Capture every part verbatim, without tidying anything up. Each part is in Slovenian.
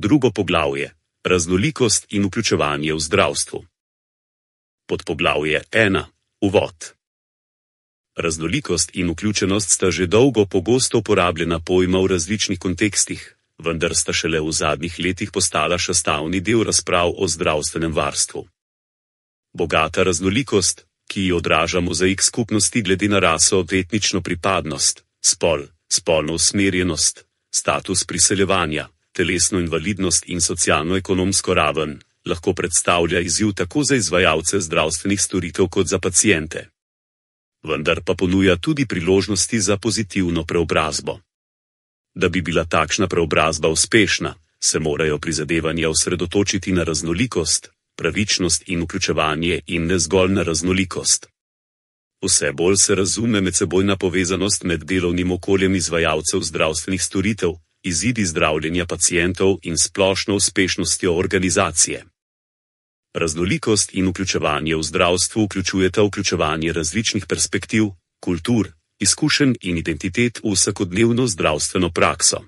Drugo poglavje: raznolikost in vključevanje v zdravstvu. Podpoglavje ena: uvod. Raznolikost in vključenost sta že dolgo pogosto uporabljena pojma v različnih kontekstih, vendar sta šele v zadnjih letih postala sestavni del razprav o zdravstvenem varstvu. Bogata raznolikost, ki jo odraža mozaik skupnosti glede na raso, etnično pripadnost, spol, spolno usmerjenost, status priseljevanja, telesno invalidnost in socialno-ekonomsko raven, lahko predstavlja izziv tako za izvajalce zdravstvenih storitev kot za paciente. Vendar pa ponuja tudi priložnosti za pozitivno preobrazbo. Da bi bila takšna preobrazba uspešna, se morajo prizadevanja osredotočiti na raznolikost, pravičnost in vključevanje in ne zgolj na raznolikost. Vse bolj se razume medsebojna povezanost med delovnim okoljem izvajalcev zdravstvenih storitev, izidi zdravljenja pacientov in splošno uspešnostjo organizacije. Raznolikost in vključevanje v zdravstvu vključujeta vključevanje različnih perspektiv, kultur, izkušenj in identitet v vsakodnevno zdravstveno prakso.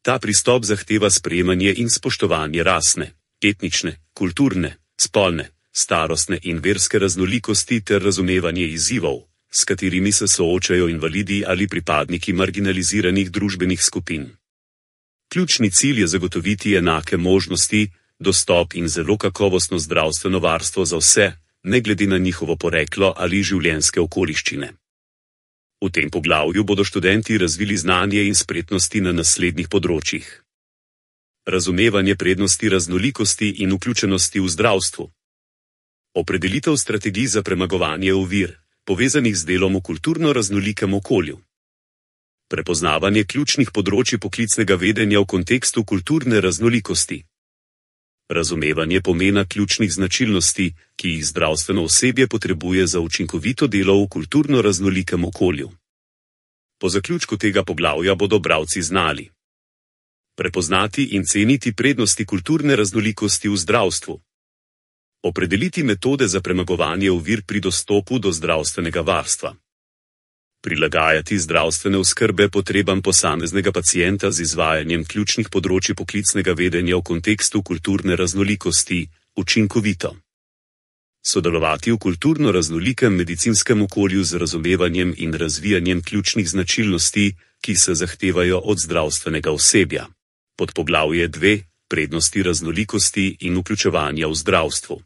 Ta pristop zahteva sprejemanje in spoštovanje rasne, etnične, kulturne, spolne, starostne in verske raznolikosti ter razumevanje izzivov, s katerimi se soočajo invalidi ali pripadniki marginaliziranih družbenih skupin. Ključni cilj je zagotoviti enake možnosti, dostop in zelo kakovostno zdravstveno varstvo za vse, ne glede na njihovo poreklo ali življenjske okoliščine. V tem poglavju bodo študenti razvili znanje in spretnosti na naslednjih področjih. Razumevanje prednosti raznolikosti in vključenosti v zdravstvu. Opredelitev strategij za premagovanje ovir, povezanih z delom v kulturno raznolikem okolju. Prepoznavanje ključnih področij poklicnega vedenja v kontekstu kulturne raznolikosti. Razumevanje pomena ključnih značilnosti, ki jih zdravstveno osebje potrebuje za učinkovito delo v kulturno raznolikem okolju. Po zaključku tega poglavja bodo bralci znali prepoznati in ceniti prednosti kulturne raznolikosti v zdravstvu. Opredeliti metode za premagovanje ovir pri dostopu do zdravstvenega varstva. Prilagajati zdravstvene oskrbe potrebam posameznega pacienta z izvajanjem ključnih področij poklicnega vedenja v kontekstu kulturne raznolikosti, učinkovito. Sodelovati v kulturno raznolikem medicinskem okolju z razumevanjem in razvijanjem ključnih značilnosti, ki se zahtevajo od zdravstvenega osebja. Podpoglavje dve: prednosti raznolikosti in vključevanja v zdravstvu.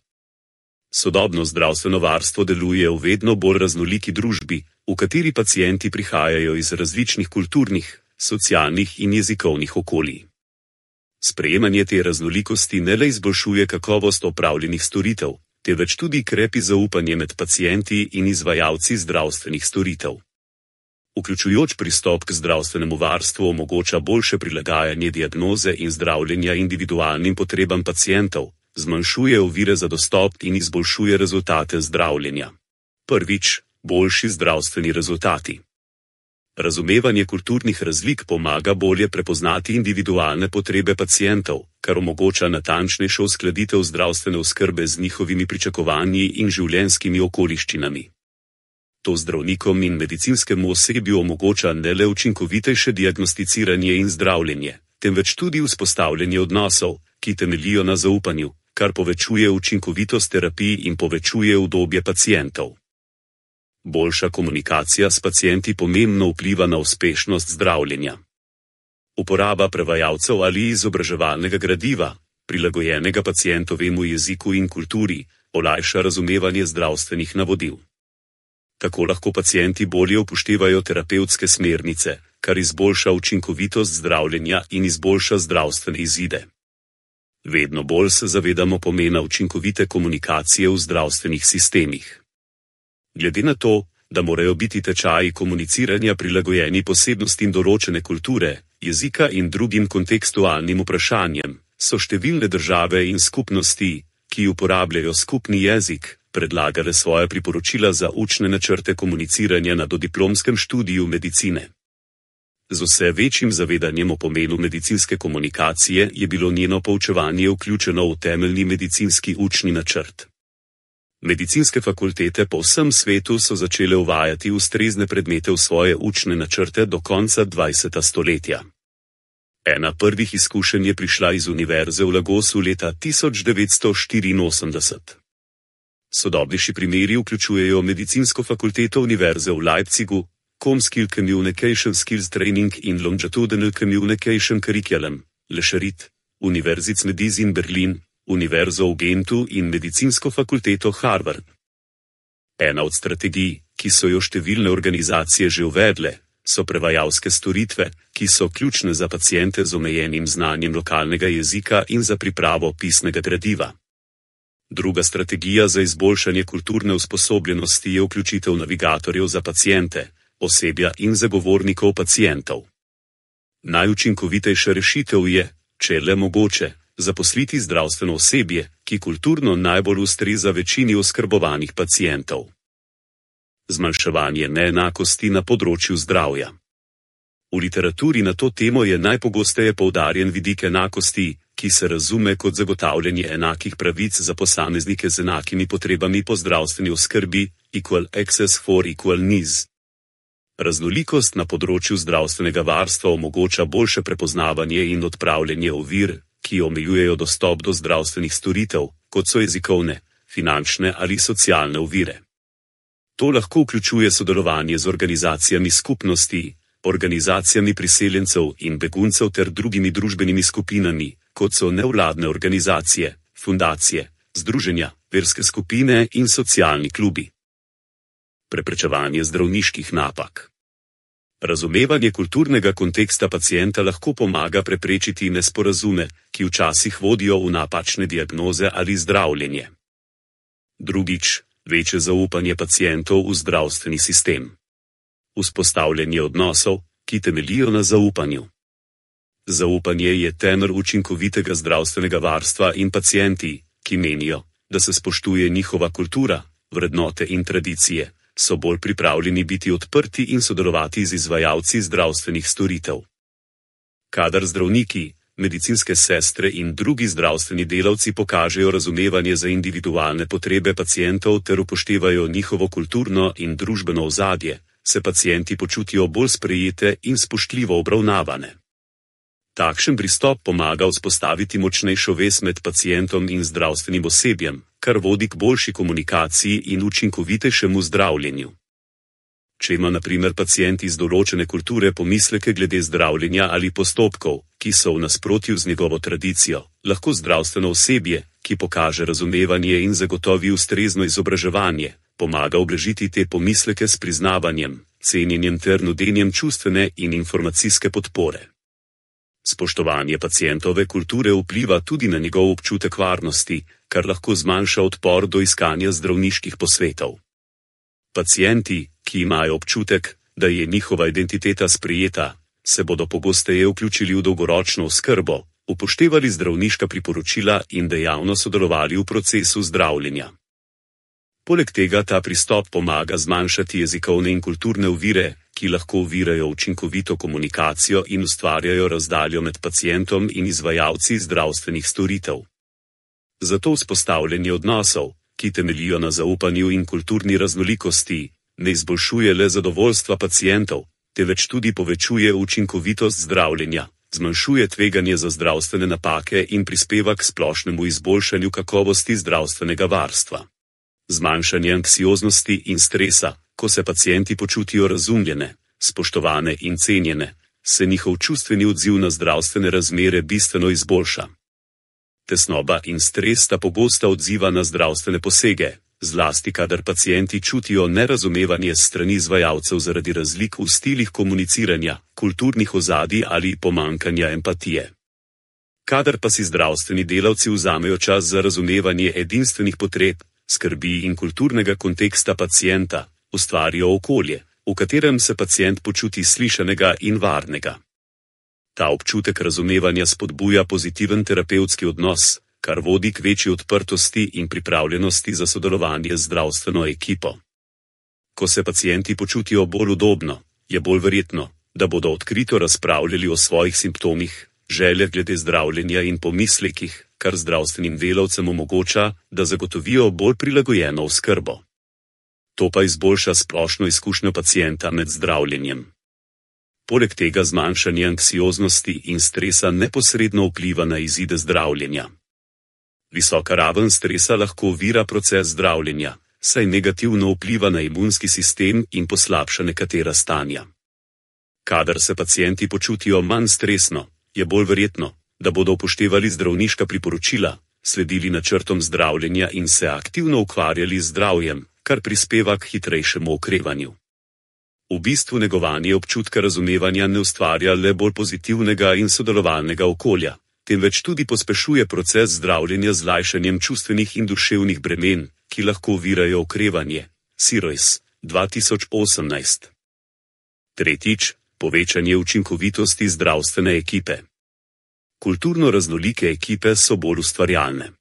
Sodobno zdravstveno varstvo deluje v vedno bolj raznoliki družbi, v kateri pacienti prihajajo iz različnih kulturnih, socialnih in jezikovnih okolij. Sprejemanje te raznolikosti ne le izboljšuje kakovost opravljenih storitev, temveč tudi krepi zaupanje med pacienti in izvajalci zdravstvenih storitev. Vključujoč pristop k zdravstvenemu varstvu omogoča boljše prilagajanje diagnoze in zdravljenja individualnim potrebam pacientov, zmanjšuje ovire za dostop in izboljšuje rezultate zdravljenja. Prvič, boljši zdravstveni rezultati. Razumevanje kulturnih razlik pomaga bolje prepoznati individualne potrebe pacientov, kar omogoča natančnejšo uskladitev zdravstvene oskrbe z njihovimi pričakovanji in življenjskimi okoliščinami. To zdravnikom in medicinskemu osebju omogoča ne le učinkovitejše diagnosticiranje in zdravljenje, temveč tudi vzpostavljanje odnosov, ki temeljijo na zaupanju, kar povečuje učinkovitost terapij in povečuje udobje pacientov. Boljša komunikacija s pacienti pomembno vpliva na uspešnost zdravljenja. Uporaba prevajalcev ali izobraževalnega gradiva, prilagojenega pacientovemu jeziku in kulturi, olajša razumevanje zdravstvenih navodil. Tako lahko pacienti bolje upoštevajo terapevtske smernice, kar izboljša učinkovitost zdravljenja in izboljša zdravstvene izide. Vedno bolj se zavedamo pomena učinkovite komunikacije v zdravstvenih sistemih. Glede na to, da morajo biti tečaji komuniciranja prilagojeni posebnostim določene kulture, jezika in drugim kontekstualnim vprašanjem, so številne države in skupnosti, ki uporabljajo skupni jezik, predlagale svoje priporočila za učne načrte komuniciranja na dodiplomskem študiju medicine. Z vse večjim zavedanjem o pomenu medicinske komunikacije je bilo njeno poučevanje vključeno v temeljni medicinski učni načrt. Medicinske fakultete po vsem svetu so začele uvajati ustrezne predmete v svoje učne načrte do konca dvajsetega stoletja. Ena prvih izkušenj je prišla iz Univerze v Lagosu leta tisoč devetsto štiriinosemdeset. Sodobnejši primeri vključujejo medicinsko fakulteto Univerze v Leipzigu, Com-Skill Communication Skills Training in Longitudinal Communication Curriculum, Le Charité, Universitätsmedizin Berlin, Univerzo v Gentu in medicinsko fakulteto Harvard. Ena od strategij, ki so jo številne organizacije že uvedle, so prevajalske storitve, ki so ključne za paciente z omejenim znanjem lokalnega jezika in za pripravo pisnega gradiva. Druga strategija za izboljšanje kulturne usposobljenosti je vključitev navigatorjev za paciente, osebja in zagovornikov pacientov. Najučinkovitejša rešitev je, če je le mogoče, zaposliti zdravstveno osebje, ki kulturno najbolj ustreza večini oskrbovanih pacientov. Zmanjševanje neenakosti na področju zdravja. V literaturi na to temo je najpogosteje poudarjen vidik enakosti, ki se razume kot zagotavljanje enakih pravic za posameznike z enakimi potrebami po zdravstveni oskrbi, equal access for equal needs. Raznolikost na področju zdravstvenega varstva omogoča boljše prepoznavanje in odpravljanje ovir, ki omejujejo dostop do zdravstvenih storitev, kot so jezikovne, finančne ali socialne ovire. To lahko vključuje sodelovanje z organizacijami skupnosti, organizacijami priseljencev in beguncev ter drugimi družbenimi skupinami, kot so nevladne organizacije, fundacije, združenja, verske skupine in socialni klubi. Preprečevanje zdravniških napak. Razumevanje kulturnega konteksta pacienta lahko pomaga preprečiti nesporazume, ki včasih vodijo v napačne diagnoze ali zdravljenje. Drugič, večje zaupanje pacientov v zdravstveni sistem. Vzpostavljanje odnosov, ki temeljijo na zaupanju. Zaupanje je temelj učinkovitega zdravstvenega varstva in pacienti, ki menijo, da se spoštuje njihova kultura, vrednote in tradicije, so bolj pripravljeni biti odprti in sodelovati z izvajalci zdravstvenih storitev. Kadar zdravniki, medicinske sestre in drugi zdravstveni delavci pokažejo razumevanje za individualne potrebe pacientov ter upoštevajo njihovo kulturno in družbeno ozadje, se pacienti počutijo bolj sprejete in spoštljivo obravnavane. Takšen pristop pomaga vzpostaviti močnejšo vez med pacientom in zdravstvenim osebjem, kar vodi k boljši komunikaciji in učinkovitejšemu zdravljenju. Če ima na primer pacient iz določene kulture pomisleke glede zdravljenja ali postopkov, ki so v nasprotju z njegovo tradicijo, lahko zdravstveno osebje, ki pokaže razumevanje in zagotovi ustrezno izobraževanje, pomaga ublažiti te pomisleke s priznavanjem, cenjenjem ter nudenjem čustvene in informacijske podpore. Spoštovanje pacientove kulture vpliva tudi na njegov občutek varnosti, kar lahko zmanjša odpor do iskanja zdravniških posvetov. Pacienti, ki imajo občutek, da je njihova identiteta sprejeta, se bodo pogosteje vključili v dolgoročno oskrbo, upoštevali zdravniška priporočila in dejavno sodelovali v procesu zdravljenja. Poleg tega ta pristop pomaga zmanjšati jezikovne in kulturne ovire, ki lahko ovirajo učinkovito komunikacijo in ustvarjajo razdaljo med pacientom in izvajalci zdravstvenih storitev. Zato vzpostavljanje odnosov, ki temeljijo na zaupanju in kulturni raznolikosti, ne izboljšuje le zadovoljstva pacientov, temveč tudi povečuje učinkovitost zdravljenja, zmanjšuje tveganje za zdravstvene napake in prispeva k splošnemu izboljšanju kakovosti zdravstvenega varstva. Zmanjšanje anksioznosti in stresa, ko se pacienti počutijo razumljene, spoštovane in cenjene, se njihov čustveni odziv na zdravstvene razmere bistveno izboljša. Tesnoba in stres sta pogosta odziva na zdravstvene posege, zlasti kadar pacienti čutijo nerazumevanje s strani izvajalcev zaradi razlik v stilih komuniciranja, kulturnih ozadij ali pomanjkanja empatije. Kadar pa si zdravstveni delavci vzamejo čas za razumevanje edinstvenih potreb, skrbi in kulturnega konteksta pacienta, ustvarijo okolje, v katerem se pacient počuti slišanega in varnega. Ta občutek razumevanja spodbuja pozitiven terapevtski odnos, kar vodi k večji odprtosti in pripravljenosti za sodelovanje z zdravstveno ekipo. Ko se pacienti počutijo bolj udobno, je bolj verjetno, da bodo odkrito razpravljali o svojih simptomih, željah glede zdravljenja in pomislekih, kar zdravstvenim delavcem omogoča, da zagotovijo bolj prilagojeno oskrbo. To pa izboljša splošno izkušnjo pacienta med zdravljenjem. Poleg tega zmanjšanje anksioznosti in stresa neposredno vpliva na izide zdravljenja. Visoka raven stresa lahko ovira proces zdravljenja, saj negativno vpliva na imunski sistem in poslabša nekatera stanja. Kadar se pacienti počutijo manj stresno, je bolj verjetno, da bodo upoštevali zdravniška priporočila, sledili načrtom zdravljenja in se aktivno ukvarjali z zdravjem, kar prispeva k hitrejšemu okrevanju. V bistvu negovanje občutka razumevanja ne ustvarja le bolj pozitivnega in sodelovalnega okolja, temveč tudi pospešuje proces zdravljenja z lajšanjem čustvenih in duševnih bremen, ki lahko ovirajo okrevanje. Sirois, dva tisoč osemnajst. Tretjič, povečanje učinkovitosti zdravstvene ekipe. Kulturno raznolike ekipe so bolj ustvarjalne.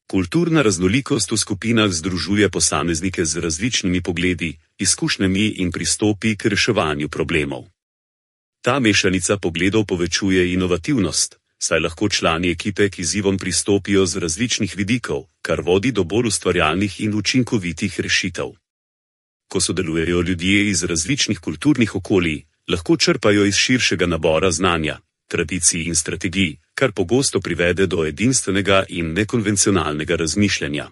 Kulturna raznolikost v skupinah združuje posameznike z različnimi pogledi, izkušnjami in pristopi k reševanju problemov. Ta mešanica pogledov povečuje inovativnost, saj lahko člani ekipe k izzivom pristopijo z različnih vidikov, kar vodi do bolj ustvarjalnih in učinkovitih rešitev. Ko sodelujejo ljudje iz različnih kulturnih okolij, lahko črpajo iz širšega nabora znanja, tradicij in strategij, kar pogosto privede do edinstvenega in nekonvencionalnega razmišljanja.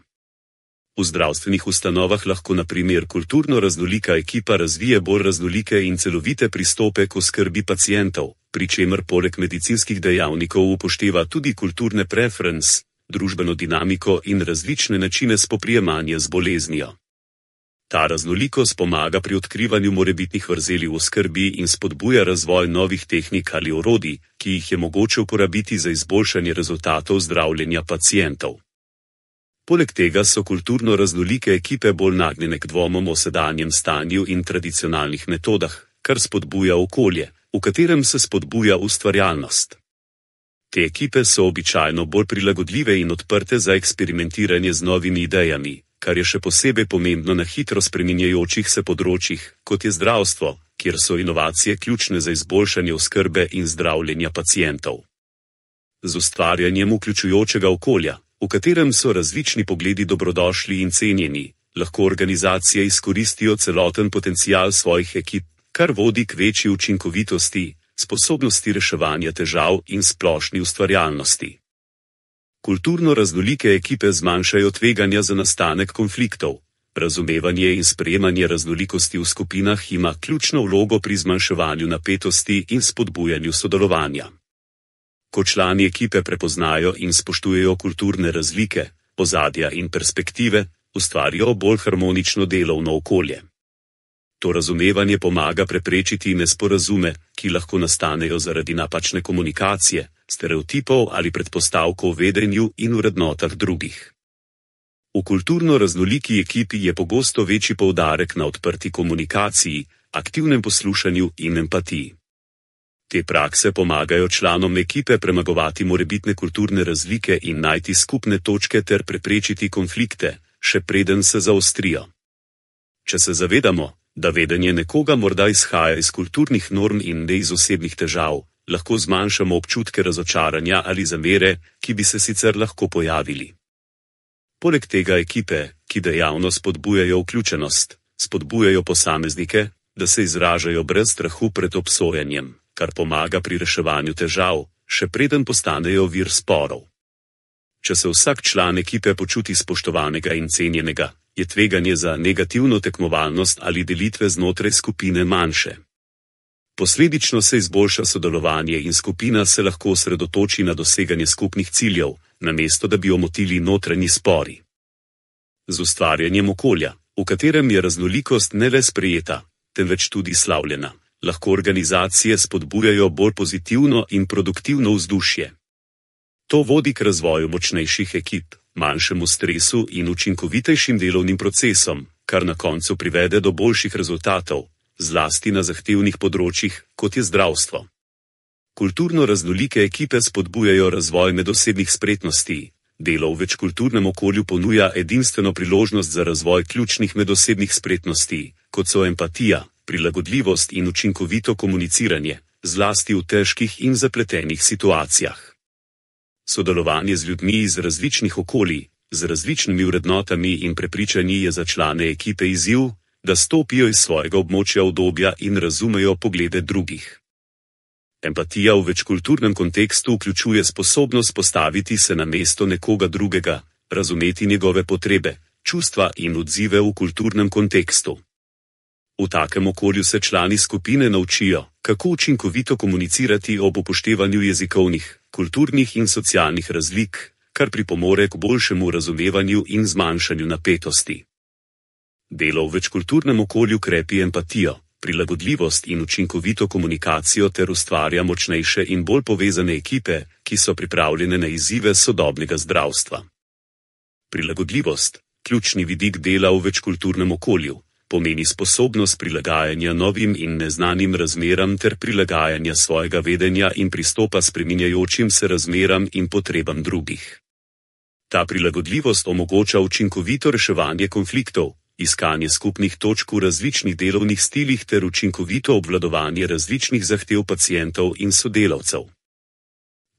V zdravstvenih ustanovah lahko na primer kulturno raznolika ekipa razvije bolj raznolike in celovite pristope k oskrbi pacientov, pri čemer poleg medicinskih dejavnikov upošteva tudi kulturne preference, družbeno dinamiko in različne načine spoprijemanja z boleznijo. Ta raznolikost pomaga pri odkrivanju morebitnih vrzeli v oskrbi in spodbuja razvoj novih tehnik ali orodij, ki jih je mogoče uporabiti za izboljšanje rezultatov zdravljenja pacientov. Poleg tega so kulturno raznolike ekipe bolj nagnjene k dvomom o sedanjem stanju in tradicionalnih metodah, kar spodbuja okolje, v katerem se spodbuja ustvarjalnost. Te ekipe so običajno bolj prilagodljive in odprte za eksperimentiranje z novimi idejami, kar je še posebej pomembno na hitro spreminjajočih se področjih, kot je zdravstvo, kjer so inovacije ključne za izboljšanje oskrbe in zdravljenja pacientov. Z ustvarjanjem vključujočega okolja, v katerem so različni pogledi dobrodošli in cenjeni, lahko organizacije izkoristijo celoten potencial svojih ekip, kar vodi k večji učinkovitosti, sposobnosti reševanja težav in splošni ustvarjalnosti. Kulturno raznolike ekipe zmanjšajo tveganja za nastanek konfliktov. Razumevanje in sprejemanje raznolikosti v skupinah ima ključno vlogo pri zmanjševanju napetosti in spodbujanju sodelovanja. Ko člani ekipe prepoznajo in spoštujejo kulturne razlike, ozadja in perspektive, ustvarijo bolj harmonično delovno okolje. To razumevanje pomaga preprečiti nesporazume, ki lahko nastanejo zaradi napačne komunikacije, stereotipov ali predpostavkov v vedenju in vrednotah drugih. V kulturno raznoliki ekipi je pogosto večji poudarek na odprti komunikaciji, aktivnem poslušanju in empatiji. Te prakse pomagajo članom ekipe premagovati morebitne kulturne razlike in najti skupne točke ter preprečiti konflikte, še preden se zaostrijo. Če se zavedamo, da vedenje nekoga morda izhaja iz kulturnih norm in ne iz osebnih težav, lahko zmanjšamo občutke razočaranja ali zamere, ki bi se sicer lahko pojavili. Poleg tega ekipe, ki dejavno spodbujajo vključenost, spodbujajo posameznike, da se izražajo brez strahu pred obsojanjem, kar pomaga pri reševanju težav, še preden postanejo vir sporov. Če se vsak član ekipe počuti spoštovanega in cenjenega, je tveganje za negativno tekmovalnost ali delitve znotraj skupine manjše. Posledično se izboljša sodelovanje in skupina se lahko osredotoči na doseganje skupnih ciljev, namesto da bi omotili notranji spori. Z ustvarjanjem okolja, v katerem je raznolikost ne le sprejeta, temveč tudi slavljena, lahko organizacije spodbujajo bolj pozitivno in produktivno vzdušje. To vodi k razvoju močnejših ekip, manjšemu stresu in učinkovitejšim delovnim procesom, kar na koncu privede do boljših rezultatov, zlasti na zahtevnih področjih, kot je zdravstvo. Kulturno raznolike ekipe spodbujajo razvoj medosebnih spretnosti. Delo v večkulturnem okolju ponuja edinstveno priložnost za razvoj ključnih medosebnih spretnosti, kot so empatija, prilagodljivost in učinkovito komuniciranje, zlasti v težkih in zapletenih situacijah. Sodelovanje z ljudmi iz različnih okolij, z različnimi vrednotami in prepričanji je za člane ekipe izziv, da stopijo iz svojega območja udobja in razumejo poglede drugih. Empatija v večkulturnem kontekstu vključuje sposobnost postaviti se na mesto nekoga drugega, razumeti njegove potrebe, čustva in odzive v kulturnem kontekstu. V takem okolju se člani skupine naučijo, kako učinkovito komunicirati ob upoštevanju jezikovnih, kulturnih in socialnih razlik, kar pripomore k boljšemu razumevanju in zmanjšanju napetosti. Delo v večkulturnem okolju krepi empatijo, prilagodljivost in učinkovito komunikacijo ter ustvarja močnejše in bolj povezane ekipe, ki so pripravljene na izzive sodobnega zdravstva. Prilagodljivost, ključni vidik dela v večkulturnem okolju, pomeni sposobnost prilagajanja novim in neznanim razmeram ter prilagajanja svojega vedenja in pristopa spreminjajočim se razmeram in potrebam drugih. Ta prilagodljivost omogoča učinkovito reševanje konfliktov, iskanje skupnih točk v različnih delovnih stilih ter učinkovito obvladovanje različnih zahtev pacientov in sodelavcev.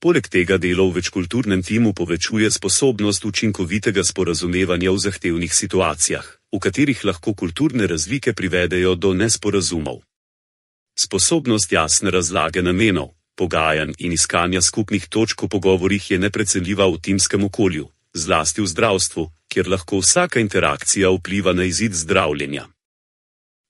Poleg tega delo v večkulturnem timu povečuje sposobnost učinkovitega sporazumevanja v zahtevnih situacijah, v katerih lahko kulturne razlike privedejo do nesporazumov. Sposobnost jasne razlage namenov, pogajanj in iskanja skupnih točk v pogovorih je neprecenljiva v timskem okolju, zlasti v zdravstvu, kjer lahko vsaka interakcija vpliva na izid zdravljenja.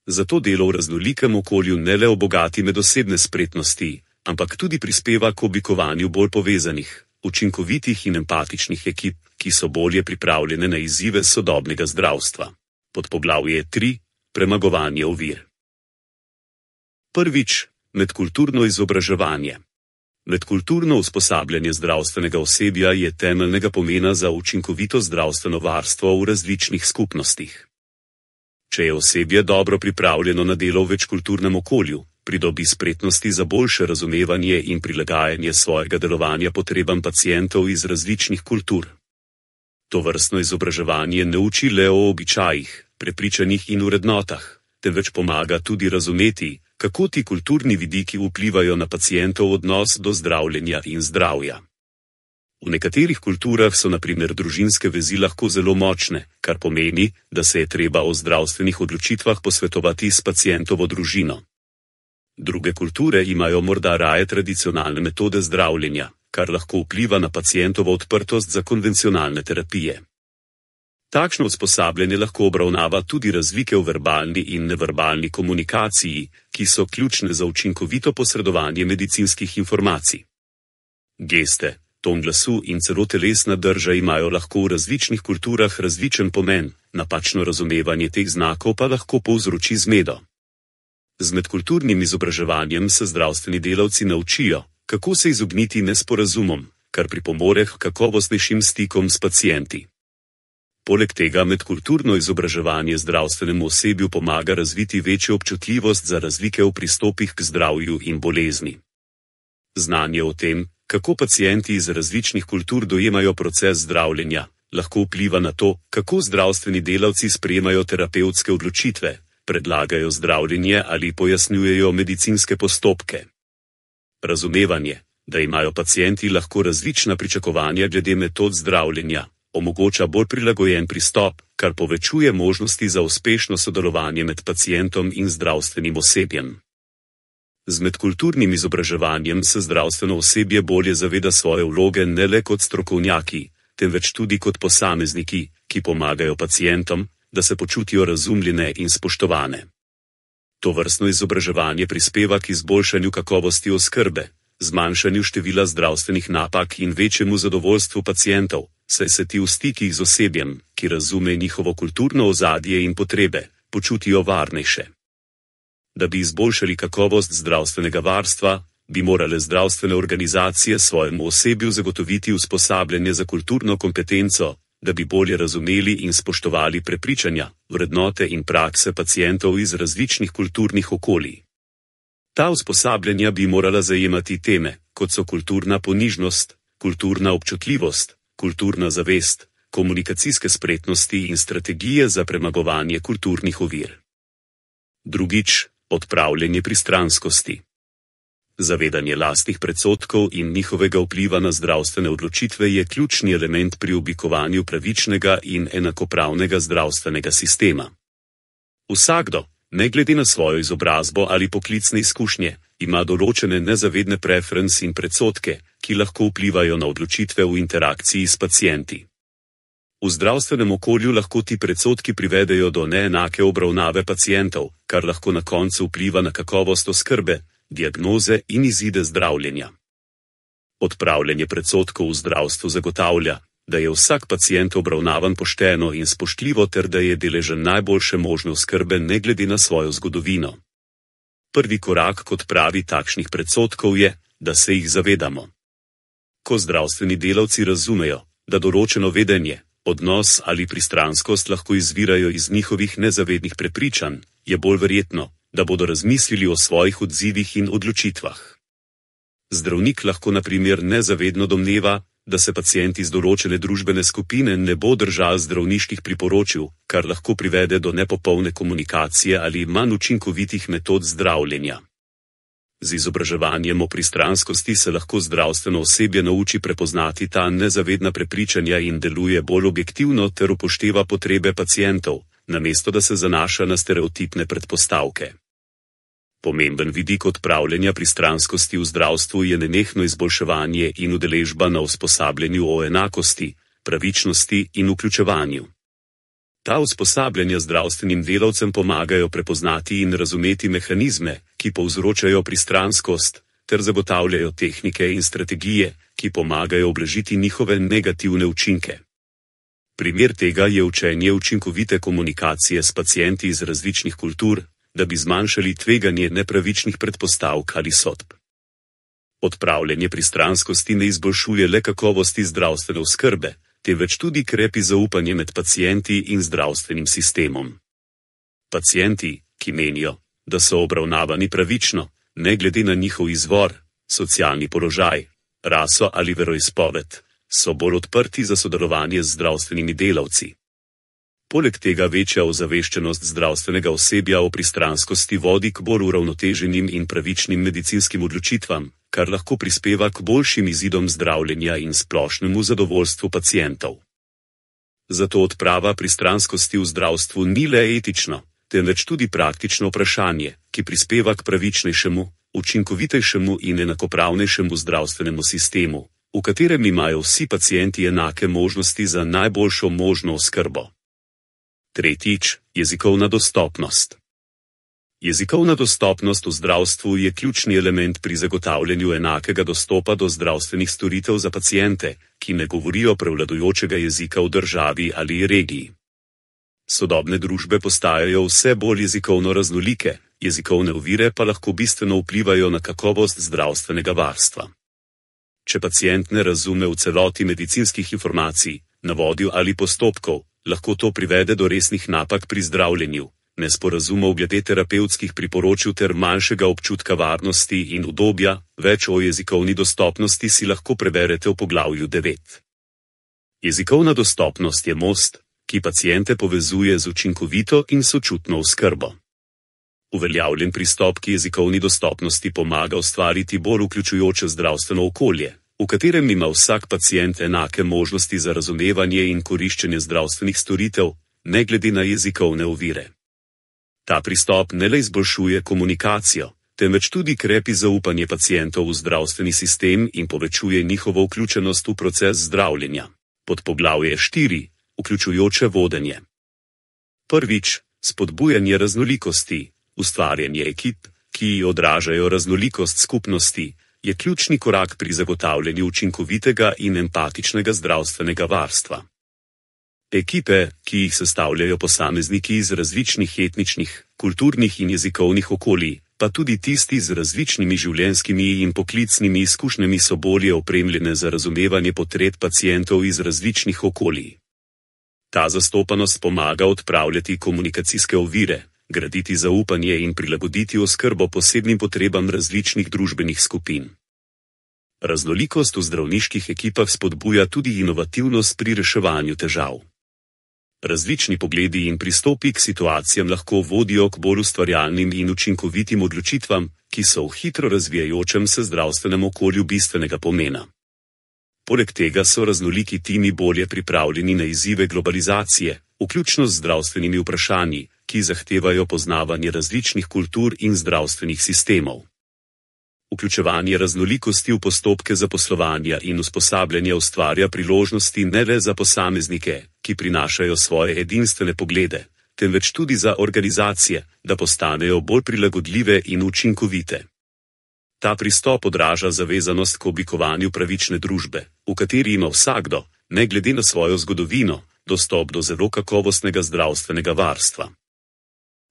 Zato delo v raznolikem okolju ne le obogati medosebne spretnosti, ampak tudi prispeva k oblikovanju bolj povezanih, učinkovitih in empatičnih ekip, ki so bolje pripravljene na izzive sodobnega zdravstva. Podpoglavje tri. Premagovanje ovir. Prvič, medkulturno izobraževanje. Medkulturno usposabljanje zdravstvenega osebja je temeljnega pomena za učinkovito zdravstveno varstvo v različnih skupnostih. Če je osebje dobro pripravljeno na delo v večkulturnem okolju, pridobi spretnosti za boljše razumevanje in prilagajanje svojega delovanja potrebam pacientov iz različnih kultur. Tovrstno izobraževanje ne uči le o običajih, prepričanjih in vrednotah, temveč pomaga tudi razumeti, kako ti kulturni vidiki vplivajo na pacientov odnos do zdravljenja in zdravja. V nekaterih kulturah so na primer družinske vezi lahko zelo močne, kar pomeni, da se je treba o zdravstvenih odločitvah posvetovati s pacientovo družino. Druge kulture imajo morda raje tradicionalne metode zdravljenja, kar lahko vpliva na pacientovo odprtost za konvencionalne terapije. Takšno usposabljanje lahko obravnava tudi razlike v verbalni in neverbalni komunikaciji, ki so ključne za učinkovito posredovanje medicinskih informacij. Geste, ton glasu in celo telesna drža imajo lahko v različnih kulturah različen pomen, napačno razumevanje teh znakov pa lahko povzroči zmedo. Z medkulturnim izobraževanjem se zdravstveni delavci naučijo, kako se izogniti nesporazumom, kar pripomore k kakovostnejšim stikom s pacienti. Poleg tega medkulturno izobraževanje zdravstvenemu osebju pomaga razviti večjo občutljivost za razlike v pristopih k zdravju in bolezni. Znanje o tem, kako pacienti iz različnih kultur dojemajo proces zdravljenja, lahko vpliva na to, kako zdravstveni delavci sprejemajo terapevtske odločitve, predlagajo zdravljenje ali pojasnjujejo medicinske postopke. Razumevanje, da imajo pacienti lahko različna pričakovanja glede metod zdravljenja, omogoča bolj prilagojen pristop, kar povečuje možnosti za uspešno sodelovanje med pacientom in zdravstvenim osebjem. Z medkulturnim izobraževanjem se zdravstveno osebje bolje zaveda svoje vloge ne le kot strokovnjaki, temveč tudi kot posamezniki, ki pomagajo pacientom, da se počutijo razumljene in spoštovane. Tovrstno izobraževanje prispeva k izboljšanju kakovosti oskrbe, zmanjšanju števila zdravstvenih napak in večjemu zadovoljstvu pacientov, saj se ti v stikih z osebjem, ki razume njihovo kulturno ozadje in potrebe, počutijo varnejše. Da bi izboljšali kakovost zdravstvenega varstva, bi morale zdravstvene organizacije svojemu osebju zagotoviti usposabljanje za kulturno kompetenco, da bi bolje razumeli in spoštovali prepričanja, vrednote in prakse pacientov iz različnih kulturnih okolij. Ta usposabljanja bi morala zajemati teme, kot so kulturna ponižnost, kulturna občutljivost, kulturna zavest, komunikacijske spretnosti in strategije za premagovanje kulturnih ovir. Drugič, odpravljanje pristranskosti. Zavedanje lastnih predsodkov in njihovega vpliva na zdravstvene odločitve je ključni element pri oblikovanju pravičnega in enakopravnega zdravstvenega sistema. Vsakdo, ne glede na svojo izobrazbo ali poklicne izkušnje, ima določene nezavedne preference in predsodke, ki lahko vplivajo na odločitve v interakciji s pacienti. V zdravstvenem okolju lahko ti predsodki privedejo do neenake obravnave pacientov, kar lahko na koncu vpliva na kakovost oskrbe, diagnoze in izide zdravljenja. Odpravljanje predsodkov v zdravstvu zagotavlja, da je vsak pacient obravnavan pošteno in spoštljivo ter da je deležen najboljše možne oskrbe ne glede na svojo zgodovino. Prvi korak k odpravi takšnih predsodkov je, da se jih zavedamo. Ko zdravstveni delavci razumejo, da določeno vedenje, odnos ali pristranskost lahko izvirajo iz njihovih nezavednih prepričanj, je bolj verjetno, da bodo razmislili o svojih odzivih in odločitvah. Zdravnik lahko na primer nezavedno domneva, da se pacient iz določene družbene skupine ne bo držal zdravniških priporočil, kar lahko privede do nepopolne komunikacije ali manj učinkovitih metod zdravljenja. Z izobraževanjem o pristranskosti se lahko zdravstveno osebje nauči prepoznati ta nezavedna prepričanja in deluje bolj objektivno ter upošteva potrebe pacientov, namesto da se zanaša na stereotipne predpostavke. Pomemben vidik odpravljanja pristranskosti v zdravstvu je nenehno izboljševanje in udeležba na usposabljanju o enakosti, pravičnosti in vključevanju. Ta usposabljanja zdravstvenim delavcem pomagajo prepoznati in razumeti mehanizme, ki povzročajo pristranskost, ter zagotavljajo tehnike in strategije, ki pomagajo ublažiti njihove negativne učinke. Primer tega je učenje učinkovite komunikacije s pacienti iz različnih kultur, da bi zmanjšali tveganje nepravičnih predpostavk ali sodb. Odpravljanje pristranskosti ne izboljšuje le kakovosti zdravstvene oskrbe, temveč tudi krepi zaupanje med pacienti in zdravstvenim sistemom. Pacienti, ki menijo, da so obravnavani pravično, ne glede na njihov izvor, socialni položaj, raso ali veroizpoved, so bolj odprti za sodelovanje z zdravstvenimi delavci. Poleg tega večja ozaveščenost zdravstvenega osebja o pristranskosti vodi k bolj uravnoteženim in pravičnim medicinskim odločitvam, kar lahko prispeva k boljšim izidom zdravljenja in splošnemu zadovoljstvu pacientov. Zato odprava pristranskosti v zdravstvu ni le etično, temveč tudi praktično vprašanje, ki prispeva k pravičnejšemu, učinkovitejšemu in enakopravnejšemu zdravstvenemu sistemu, v katerem imajo vsi pacienti enake možnosti za najboljšo možno oskrbo. Tretjič, jezikovna dostopnost. Jezikovna dostopnost v zdravstvu je ključni element pri zagotavljanju enakega dostopa do zdravstvenih storitev za paciente, ki ne govorijo prevladujočega jezika v državi ali regiji. Sodobne družbe postajajo vse bolj jezikovno raznolike, jezikovne ovire pa lahko bistveno vplivajo na kakovost zdravstvenega varstva. Če pacient ne razume v celoti medicinskih informacij, navodil ali postopkov, lahko to privede do resnih napak pri zdravljenju, nesporazumov glede terapevtskih priporočil ter manjšega občutka varnosti in udobja. Več o jezikovni dostopnosti si lahko preberete v poglavju devet. Jezikovna dostopnost je most, ki paciente povezuje z učinkovito in sočutno oskrbo. Uveljavljen pristop k jezikovni dostopnosti pomaga ustvariti bolj vključujoče zdravstveno okolje, v katerem ima vsak pacient enake možnosti za razumevanje in koriščenje zdravstvenih storitev, ne glede na jezikovne ovire. Ta pristop ne le izboljšuje komunikacijo, temveč tudi krepi zaupanje pacientov v zdravstveni sistem in povečuje njihovo vključenost v proces zdravljenja. Podpoglavje štiri. Vključujoče vodenje. Prvič, spodbujanje raznolikosti. Ustvarjanje ekip, ki odražajo raznolikost skupnosti, je ključni korak pri zagotavljanju učinkovitega in empatičnega zdravstvenega varstva. Ekipe, ki jih sestavljajo posamezniki iz različnih etničnih, kulturnih in jezikovnih okolij, pa tudi tisti z različnimi življenjskimi in poklicnimi izkušnjami, so bolje opremljene za razumevanje potreb pacientov iz različnih okolij. Ta zastopanost pomaga odpravljati komunikacijske ovire, graditi zaupanje in prilagoditi oskrbo posebnim potrebam različnih družbenih skupin. Raznolikost v zdravniških ekipah spodbuja tudi inovativnost pri reševanju težav. Različni pogledi in pristopi k situacijam lahko vodijo k bolj ustvarjalnim in učinkovitim odločitvam, ki so v hitro razvijajočem se zdravstvenem okolju bistvenega pomena. Poleg tega so raznoliki timi bolje pripravljeni na izzive globalizacije, vključno z zdravstvenimi vprašanji, ki zahtevajo poznavanje različnih kultur in zdravstvenih sistemov. Vključevanje raznolikosti v postopke zaposlovanja in usposabljanja ustvarja priložnosti ne le za posameznike, ki prinašajo svoje edinstvene poglede, temveč tudi za organizacije, da postanejo bolj prilagodljive in učinkovite. Ta pristop odraža zavezanost k oblikovanju pravične družbe, v kateri ima vsakdo, ne glede na svojo zgodovino, dostop do zelo kakovostnega zdravstvenega varstva.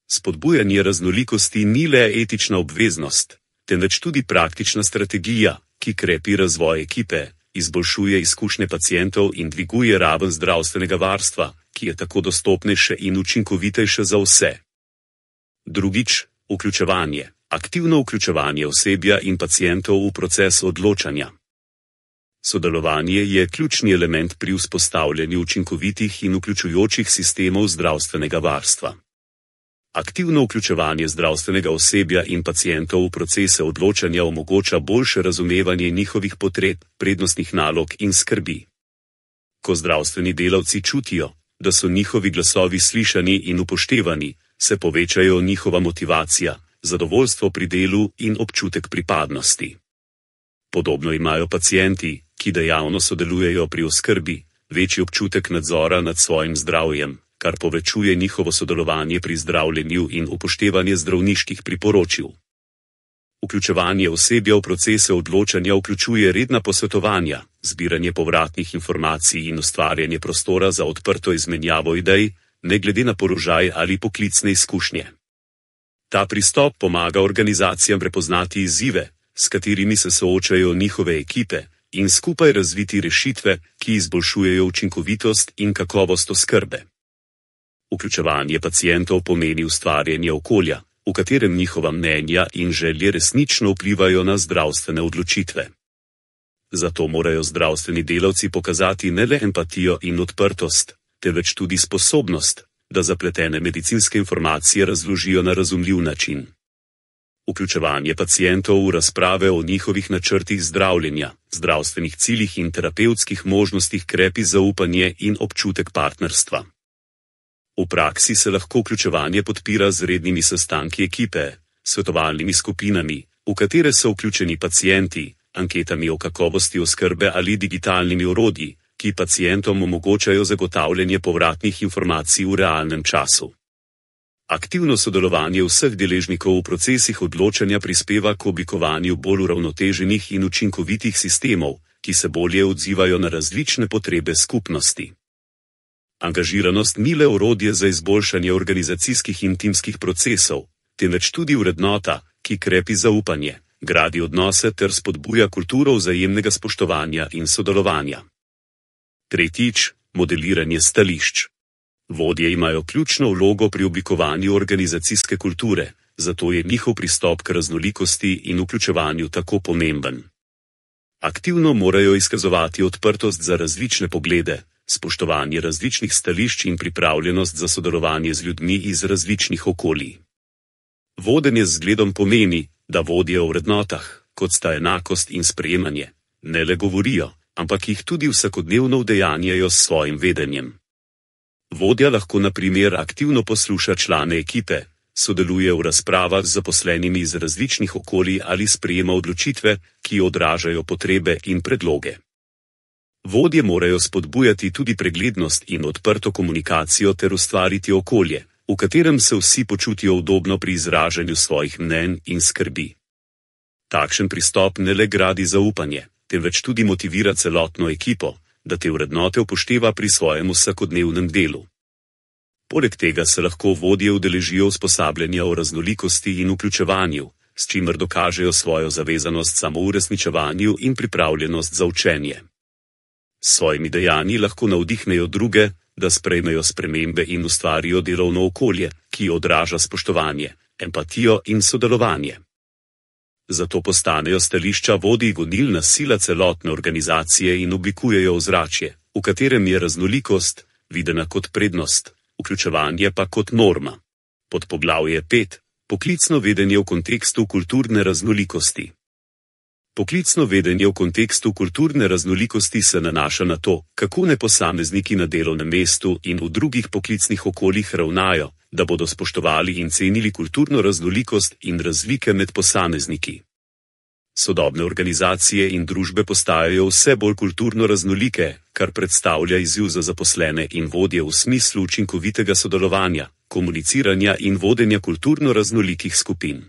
Spodbujanje raznolikosti ni le etična obveznost, temveč tudi praktična strategija, ki krepi razvoj ekipe, izboljšuje izkušnje pacientov in dviguje raven zdravstvenega varstva, ki je tako dostopnejše in učinkovitejše za vse. Drugič, vključevanje, aktivno vključevanje osebja in pacientov v proces odločanja. Sodelovanje je ključni element pri vzpostavljanju učinkovitih in vključujočih sistemov zdravstvenega varstva. Aktivno vključevanje zdravstvenega osebja in pacientov v procese odločanja omogoča boljše razumevanje njihovih potreb, prednostnih nalog in skrbi. Ko zdravstveni delavci čutijo, da so njihovi glasovi slišani in upoštevani, se povečajo njihova motivacija, zadovoljstvo pri delu in občutek pripadnosti. Podobno imajo pacienti, ki dejavno sodelujejo pri oskrbi, večji občutek nadzora nad svojim zdravjem, kar povečuje njihovo sodelovanje pri zdravljenju in upoštevanje zdravniških priporočil. Vključevanje osebja v procese odločanja vključuje redna posvetovanja, zbiranje povratnih informacij in ustvarjanje prostora za odprto izmenjavo idej, ne glede na položaj ali poklicne izkušnje. Ta pristop pomaga organizacijam prepoznati izzive, s katerimi se soočajo njihove ekipe, in skupaj razviti rešitve, ki izboljšujejo učinkovitost in kakovost oskrbe. Vključevanje pacientov pomeni ustvarjanje okolja, v katerem njihova mnenja in želje resnično vplivajo na zdravstvene odločitve. Zato morajo zdravstveni delavci pokazati ne le empatijo in odprtost, temveč tudi sposobnost, da zapletene medicinske informacije razložijo na razumljiv način. Vključevanje pacientov v razprave o njihovih načrtih zdravljenja, zdravstvenih ciljih in terapevtskih možnostih krepi zaupanje in občutek partnerstva. V praksi se lahko vključevanje podpira z rednimi sestanki ekipe, svetovalnimi skupinami, v katere so vključeni pacienti, anketami o kakovosti oskrbe ali digitalnimi orodji, ki pacientom omogočajo zagotavljanje povratnih informacij v realnem času. Aktivno sodelovanje vseh deležnikov v procesih odločanja prispeva k oblikovanju bolj uravnoteženih in učinkovitih sistemov, ki se bolje odzivajo na različne potrebe skupnosti. Angažiranost ni le orodje za izboljšanje organizacijskih in timskih procesov, temveč tudi vrednota, ki krepi zaupanje, gradi odnose ter spodbuja kulturo vzajemnega spoštovanja in sodelovanja. Tretjič, modeliranje stališč. Vodje imajo ključno vlogo pri oblikovanju organizacijske kulture, zato je njihov pristop k raznolikosti in vključevanju tako pomemben. Aktivno morajo izkazovati odprtost za različne poglede, spoštovanje različnih stališč in pripravljenost za sodelovanje z ljudmi iz različnih okolij. Vodenje z zgledom pomeni, da vodijo o vrednotah, kot sta enakost in sprejemanje, ne le govorijo, ampak jih tudi vsakodnevno udejanjajo s svojim vedenjem. Vodja lahko na primer aktivno posluša člane ekipe, sodeluje v razpravah z zaposlenimi iz različnih okolij ali sprejema odločitve, ki odražajo potrebe in predloge. Vodje morajo spodbujati tudi preglednost in odprto komunikacijo ter ustvariti okolje, v katerem se vsi počutijo udobno pri izražanju svojih mnenj in skrbi. Takšen pristop ne le gradi zaupanje, temveč tudi motivira celotno ekipo, da te vrednote upošteva pri svojem vsakodnevnem delu. Poleg tega se lahko vodje udeležijo usposabljanja o raznolikosti in vključevanju, s čimer dokažejo svojo zavezanost samouresničevanju in pripravljenost za učenje. S svojimi dejanji lahko navdihnejo druge, da sprejmejo spremembe in ustvarijo delovno okolje, ki odraža spoštovanje, empatijo in sodelovanje. Zato postanejo stališča vodij gonilna sila celotne organizacije in oblikujejo ozračje, v katerem je raznolikost videna kot prednost, vključevanje pa kot norma. Podpoglavje pet. Poklicno vedenje v kontekstu kulturne raznolikosti. Poklicno vedenje v kontekstu kulturne raznolikosti se nanaša na to, kako ne posamezniki na delovnem mestu in v drugih poklicnih okoljih ravnajo, da bodo spoštovali in cenili kulturno raznolikost in razlike med posamezniki. Sodobne organizacije in družbe postajajo vse bolj kulturno raznolike, kar predstavlja izziv za zaposlene in vodje v smislu učinkovitega sodelovanja, komuniciranja in vodenja kulturno raznolikih skupin.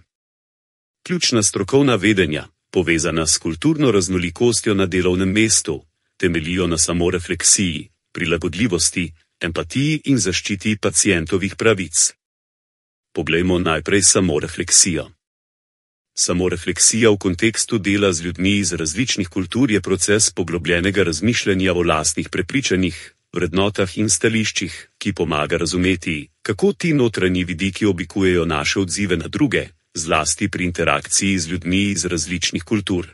Ključna strokovna vedenja, povezana s kulturno raznolikostjo na delovnem mestu, temeljijo na samorefleksiji, prilagodljivosti, empatiji in zaščiti pacientovih pravic. Poglejmo najprej samorefleksijo. Samorefleksija v kontekstu dela z ljudmi iz različnih kultur je proces poglobljenega razmišljanja o lastnih prepričanjih, vrednotah in stališčih, ki pomaga razumeti, kako ti notranji vidiki oblikujejo naše odzive na druge, zlasti pri interakciji z ljudmi iz različnih kultur.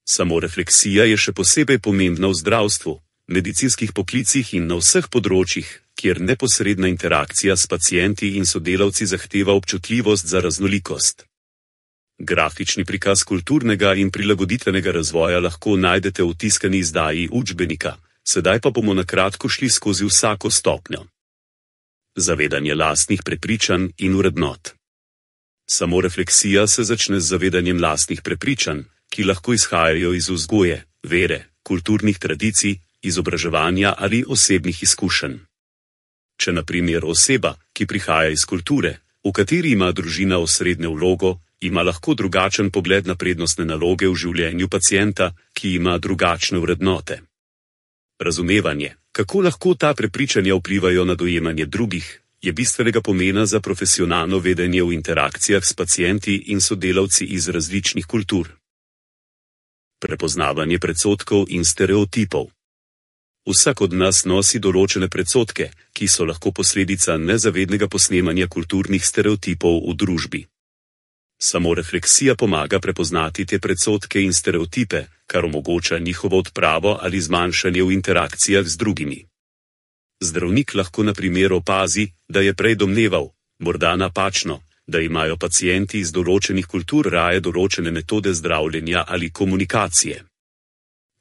Samorefleksija je še posebej pomembna v zdravstvu, medicinskih poklicih in na vseh področjih, kjer neposredna interakcija s pacienti in sodelavci zahteva občutljivost za raznolikost. Grafični prikaz kulturnega in prilagoditvenega razvoja lahko najdete v tiskani izdaji učbenika, sedaj pa bomo na kratko šli skozi vsako stopnjo. Zavedanje lastnih prepričanj in vrednot. Samorefleksija se začne z zavedanjem lastnih prepričanj, ki lahko izhajajo iz vzgoje, vere, kulturnih tradicij, izobraževanja ali osebnih izkušenj. Če na primer oseba, ki prihaja iz kulture, v kateri ima družina osrednjo vlogo, ima lahko drugačen pogled na prednostne naloge v življenju pacienta, ki ima drugačne vrednote. Razumevanje, kako lahko ta prepričanja vplivajo na dojemanje drugih, je bistvenega pomena za profesionalno vedenje v interakcijah s pacienti in sodelavci iz različnih kultur. Prepoznavanje predsodkov in stereotipov. Vsak od nas nosi določene predsodke, ki so lahko posledica nezavednega posnemanja kulturnih stereotipov v družbi. Samorefleksija pomaga prepoznati te predsodke in stereotipe, kar omogoča njihovo odpravo ali zmanjšanje v interakcijah z drugimi. Zdravnik lahko na primer opazi, da je prej domneval, morda napačno, da imajo pacienti iz določenih kultur raje določene metode zdravljenja ali komunikacije.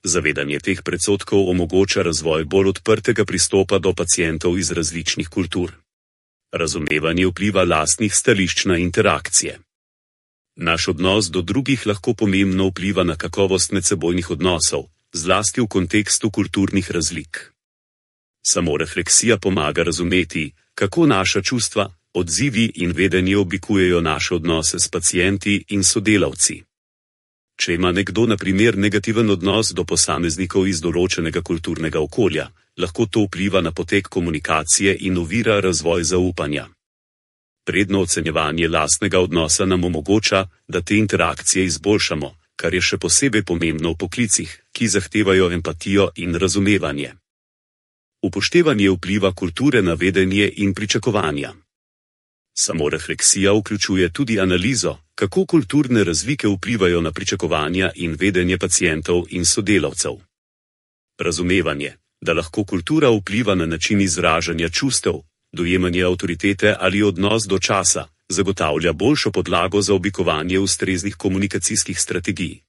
Zavedanje teh predsodkov omogoča razvoj bolj odprtega pristopa do pacientov iz različnih kultur. Razumevanje vpliva lastnih stališč na interakcije. Naš odnos do drugih lahko pomembno vpliva na kakovost medsebojnih odnosov, zlasti v kontekstu kulturnih razlik. Samorefleksija pomaga razumeti, kako naša čustva, odzivi in vedenje oblikujejo naše odnose s pacienti in sodelavci. Če ima nekdo na primer negativen odnos do posameznikov iz določenega kulturnega okolja, lahko to vpliva na potek komunikacije in ovira razvoj zaupanja. Predno ocenjevanje lastnega odnosa nam omogoča, da te interakcije izboljšamo, kar je še posebej pomembno v poklicih, ki zahtevajo empatijo in razumevanje. Upoštevanje vpliva kulture na vedenje in pričakovanja. Samorefleksija vključuje tudi analizo, kako kulturne razlike vplivajo na pričakovanja in vedenje pacientov in sodelavcev. Razumevanje, da lahko kultura vpliva na način izražanja čustev, dojemanje avtoritete ali odnos do časa, zagotavlja boljšo podlago za oblikovanje ustreznih komunikacijskih strategij.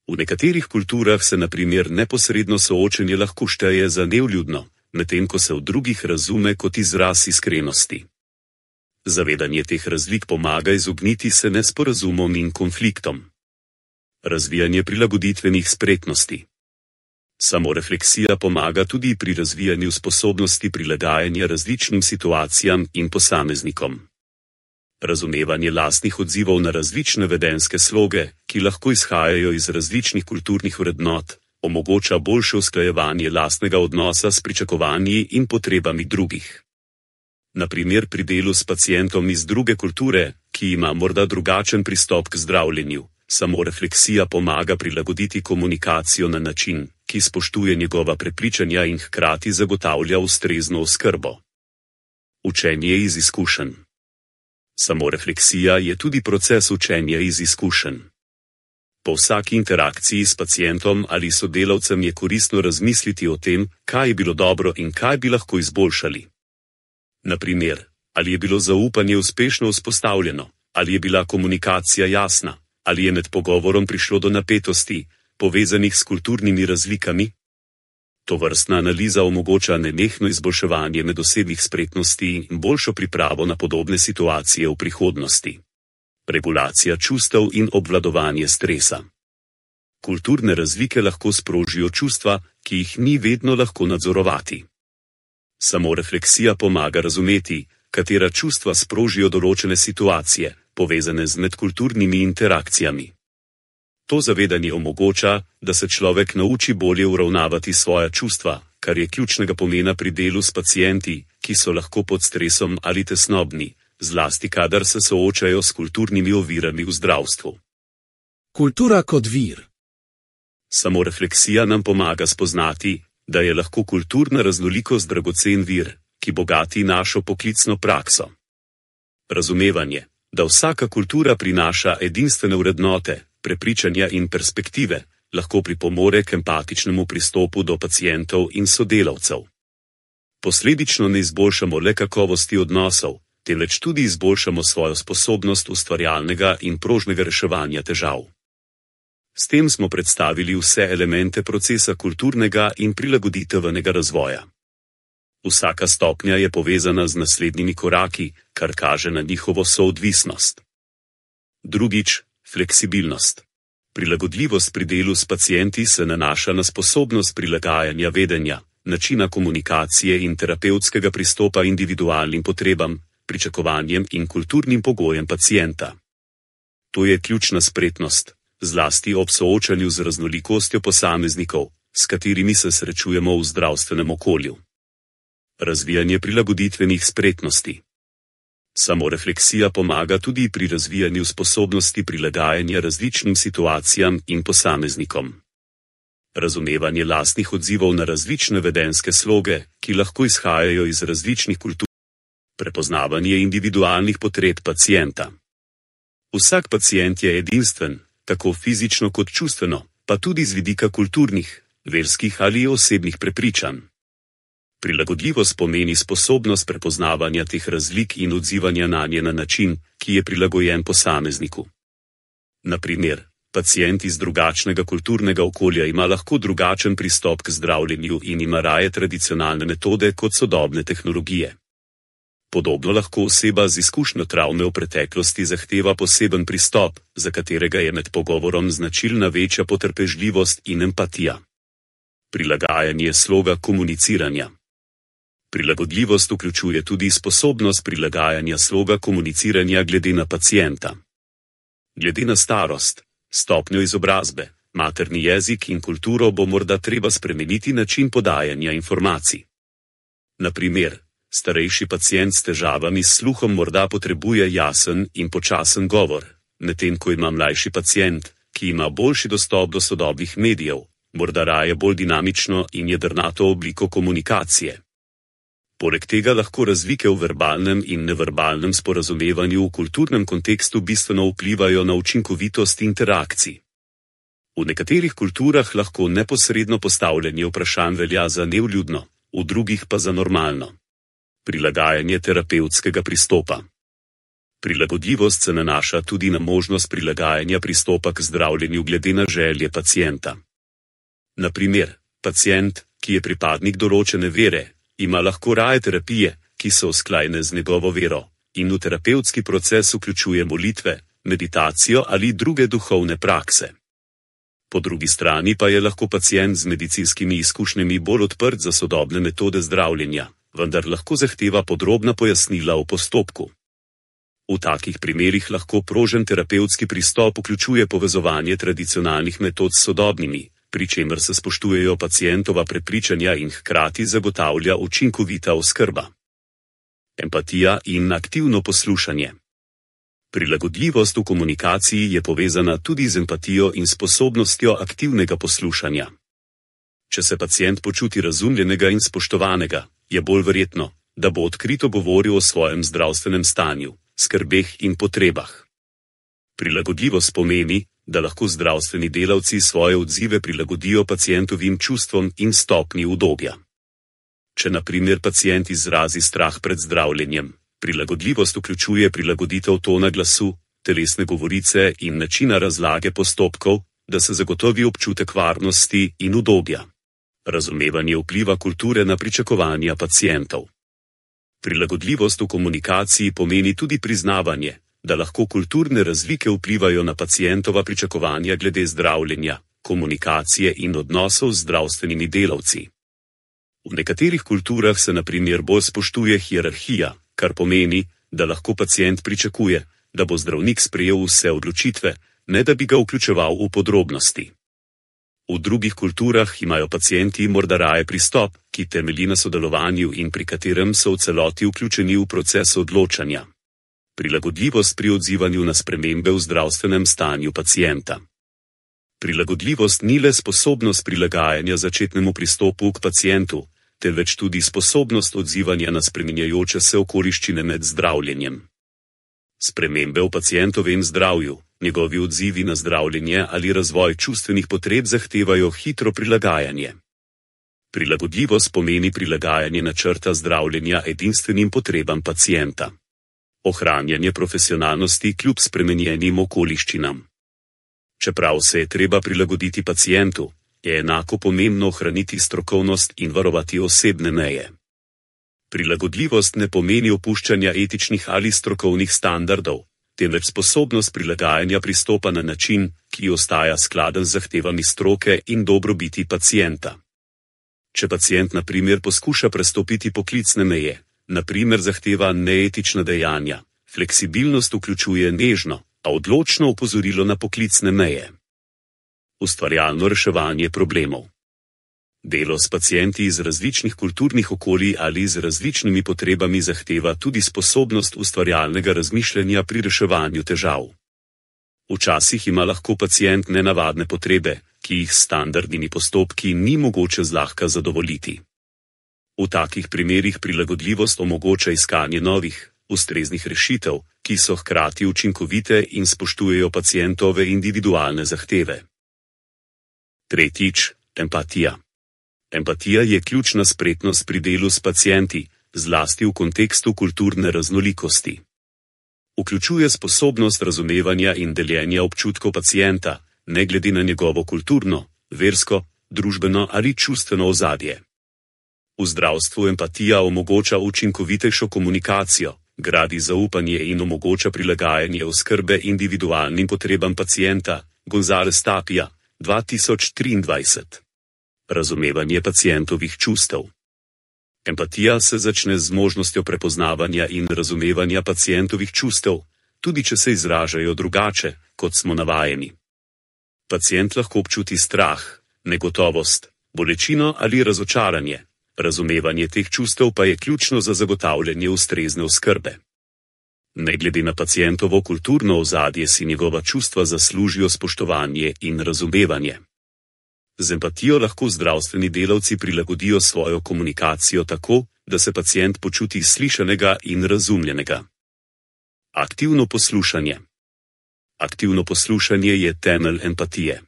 V nekaterih kulturah se na primer neposredno soočenje lahko šteje za nevljudno, medtem ko se v drugih razume kot izraz iskrenosti. Zavedanje teh razlik pomaga izogniti se nesporazumom in konfliktom. Razvijanje prilagoditvenih spretnosti. Samorefleksija pomaga tudi pri razvijanju sposobnosti prilagajanja različnim situacijam in posameznikom. Razumevanje lastnih odzivov na različne vedenjske sloge, ki lahko izhajajo iz različnih kulturnih vrednot, omogoča boljše usklajevanje lastnega odnosa s pričakovanji in potrebami drugih. Na primer pri delu s pacientom iz druge kulture, ki ima morda drugačen pristop k zdravljenju, samorefleksija pomaga prilagoditi komunikacijo na način, ki spoštuje njegova prepričanja in hkrati zagotavlja ustrezno oskrbo. Učenje iz izkušenj. Samorefleksija je tudi proces učenja iz izkušenj. Po vsaki interakciji s pacientom ali sodelavcem je koristno razmisliti o tem, kaj je bilo dobro in kaj bi lahko izboljšali. Na primer, ali je bilo zaupanje uspešno vzpostavljeno, ali je bila komunikacija jasna, Ali je med pogovorom prišlo do napetosti, povezanih s kulturnimi razlikami? Tovrstna analiza omogoča nenehno izboljševanje medosebnih spretnosti in boljšo pripravo na podobne situacije v prihodnosti. Regulacija čustev in obvladovanje stresa. Kulturne razlike lahko sprožijo čustva, ki jih ni vedno lahko nadzorovati. Samo refleksija pomaga razumeti, katera čustva sprožijo določene situacije, povezane z medkulturnimi interakcijami. To zavedanje omogoča, da se človek nauči bolje uravnavati svoja čustva, kar je ključnega pomena pri delu s pacienti, ki so lahko pod stresom ali tesnobni, zlasti kadar se soočajo s kulturnimi ovirami v zdravstvu. Kultura kot vir. Samo refleksija nam pomaga spoznati, da je lahko kulturna raznolikost dragocen vir, ki bogati našo poklicno prakso. Razumevanje, da vsaka kultura prinaša edinstvene vrednote, prepričanja in perspektive, lahko pripomore k empatičnemu pristopu do pacientov in sodelavcev. Posledično ne izboljšamo le kakovosti odnosov, temveč tudi izboljšamo svojo sposobnost ustvarjalnega in prožnega reševanja težav. S tem smo predstavili vse elemente procesa kulturnega in prilagoditvenega razvoja. Vsaka stopnja je povezana z naslednjimi koraki, kar kaže na njihovo soodvisnost. Drugič, fleksibilnost. Prilagodljivost pri delu s pacienti se nanaša na sposobnost prilagajanja vedenja, načina komunikacije in terapevtskega pristopa individualnim potrebam, pričakovanjem in kulturnim pogojem pacienta. To je ključna spretnost, zlasti ob soočanju z raznolikostjo posameznikov, s katerimi se srečujemo v zdravstvenem okolju. Razvijanje prilagoditvenih spretnosti. Samorefleksija pomaga tudi pri razvijanju sposobnosti prilagajanja različnim situacijam in posameznikom. Razumevanje lastnih odzivov na različne vedenjske sloge, ki lahko izhajajo iz različnih kultur. Prepoznavanje individualnih potreb pacienta. Vsak pacient je edinstven, tako fizično kot čustveno, pa tudi z vidika kulturnih, verskih ali osebnih prepričanj. Prilagodljivost pomeni sposobnost prepoznavanja teh razlik in odzivanja nanje na način, ki je prilagojen posamezniku. Na primer, pacient iz drugačnega kulturnega okolja ima lahko drugačen pristop k zdravljenju in ima raje tradicionalne metode kot sodobne tehnologije. Podobno lahko oseba z izkušnjo travme v preteklosti zahteva poseben pristop, za katerega je med pogovorom značilna večja potrpežljivost in empatija. Prilagajanje sloga komuniciranja. Prilagodljivost vključuje tudi sposobnost prilagajanja sloga komuniciranja glede na pacienta. Glede na starost, stopnjo izobrazbe, materni jezik in kulturo bo morda treba spremeniti način podajanja informacij. Na primer, starejši pacient s težavami s sluhom morda potrebuje jasen in počasen govor, medtem ko ima mlajši pacient, ki ima boljši dostop do sodobnih medijev, morda raje bolj dinamično in jedrnato obliko komunikacije. Poleg tega lahko razlike v verbalnem in neverbalnem sporazumevanju v kulturnem kontekstu bistveno vplivajo na učinkovitost interakcij. V nekaterih kulturah lahko neposredno postavljanje vprašanj velja za nevljudno, v drugih pa za normalno. Prilagajanje terapevtskega pristopa. Prilagodljivost se nanaša tudi na možnost prilagajanja pristopa k zdravljenju glede na želje pacienta. Na primer, pacient, ki je pripadnik določene vere, ima lahko raje terapije, ki so usklajene z njegovo vero, in v terapevtski proces vključuje molitve, meditacijo ali druge duhovne prakse. Po drugi strani pa je lahko pacient z medicinskimi izkušnjami bolj odprt za sodobne metode zdravljenja, vendar lahko zahteva podrobna pojasnila o postopku. V takih primerih lahko prožen terapevtski pristop vključuje povezovanje tradicionalnih metod s sodobnimi, pri čemer se spoštujejo pacientova prepričanja in hkrati zagotavlja učinkovita oskrba. Empatija in aktivno poslušanje. Prilagodljivost v komunikaciji je povezana tudi z empatijo in sposobnostjo aktivnega poslušanja. Če se pacient počuti razumljenega in spoštovanega, je bolj verjetno, da bo odkrito govoril o svojem zdravstvenem stanju, skrbeh in potrebah. Prilagodljivost pomeni, da lahko zdravstveni delavci svoje odzive prilagodijo pacientovim čustvom in stopnji udobja. Če na primer pacient izrazi strah pred zdravljenjem, prilagodljivost vključuje prilagoditev tona glasu, telesne govorice in načina razlage postopkov, da se zagotovi občutek varnosti in udobja. Razumevanje vpliva kulture na pričakovanja pacientov. Prilagodljivost v komunikaciji pomeni tudi priznavanje, da lahko kulturne razlike vplivajo na pacientova pričakovanja glede zdravljenja, komunikacije in odnosov z zdravstvenimi delavci. V nekaterih kulturah se na primer bolj spoštuje hierarhija, kar pomeni, da lahko pacient pričakuje, da bo zdravnik sprejel vse odločitve, ne da bi ga vključeval v podrobnosti. V drugih kulturah imajo pacienti morda raje pristop, ki temelji na sodelovanju in pri katerem so v celoti vključeni v proces odločanja. Prilagodljivost pri odzivanju na spremembe v zdravstvenem stanju pacienta. Prilagodljivost ni le sposobnost prilagajanja začetnemu pristopu k pacientu, temveč tudi sposobnost odzivanja na spreminjajoče se okoliščine med zdravljenjem. Spremembe v pacientovem zdravju, njegovi odzivi na zdravljenje ali razvoj čustvenih potreb zahtevajo hitro prilagajanje. Prilagodljivost pomeni prilagajanje načrta zdravljenja edinstvenim potrebam pacienta. Ohranjanje profesionalnosti kljub spremenjenim okoliščinam. Čeprav se je treba prilagoditi pacientu, je enako pomembno ohraniti strokovnost in varovati osebne meje. Prilagodljivost ne pomeni opuščanja etičnih ali strokovnih standardov, temveč sposobnost prilagajanja pristopa na način, ki ostaja skladen z zahtevami stroke in dobrobiti pacienta. Če pacient na primer poskuša prestopiti poklicne meje, na primer zahteva neetična dejanja, fleksibilnost vključuje nežno, a odločno opozorilo na poklicne meje. Ustvarjalno reševanje problemov. Delo s pacienti iz različnih kulturnih okolij ali z različnimi potrebami zahteva tudi sposobnost ustvarjalnega razmišljanja pri reševanju težav. Včasih ima lahko pacient nenavadne potrebe, ki jih s standardnimi postopki ni mogoče zlahka zadovoljiti. V takih primerih prilagodljivost omogoča iskanje novih, ustreznih rešitev, ki so hkrati učinkovite in spoštujejo pacientove individualne zahteve. Tretjič, empatija. Empatija je ključna spretnost pri delu s pacienti, zlasti v kontekstu kulturne raznolikosti. Vključuje sposobnost razumevanja in deljenja občutkov pacienta, ne glede na njegovo kulturno, versko, družbeno ali čustveno ozadje. V zdravstvu empatija omogoča učinkovitejšo komunikacijo, gradi zaupanje in omogoča prilagajanje oskrbe individualnim potrebam pacienta. González Tapia, dva tisoč triindvajset. Razumevanje pacientovih čustev. Empatija se začne z možnostjo prepoznavanja in razumevanja pacientovih čustev, tudi če se izražajo drugače, kot smo navajeni. Pacient lahko občuti strah, negotovost, bolečino ali razočaranje. Razumevanje teh čustev pa je ključno za zagotavljanje ustrezne oskrbe. Ne glede na pacientovo kulturno ozadje si njegova čustva zaslužijo spoštovanje in razumevanje. Z empatijo lahko zdravstveni delavci prilagodijo svojo komunikacijo tako, da se pacient počuti slišanega in razumljenega. Aktivno poslušanje. Aktivno poslušanje je temelj empatije.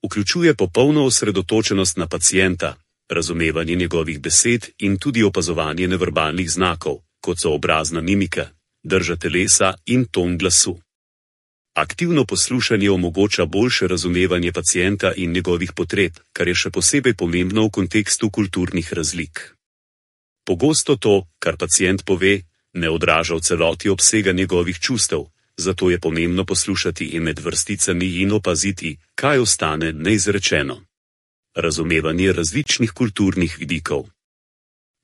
Vključuje popolno osredotočenost na pacienta, razumevanje njegovih besed in tudi opazovanje neverbalnih znakov, kot so obrazna mimika, drža telesa in ton glasu. Aktivno poslušanje omogoča boljše razumevanje pacienta in njegovih potreb, kar je še posebej pomembno v kontekstu kulturnih razlik. Pogosto to, kar pacient pove, ne odraža v celoti obsega njegovih čustev, zato je pomembno poslušati in med vrsticami in opaziti, kaj ostane neizrečeno. Razumevanje različnih kulturnih vidikov.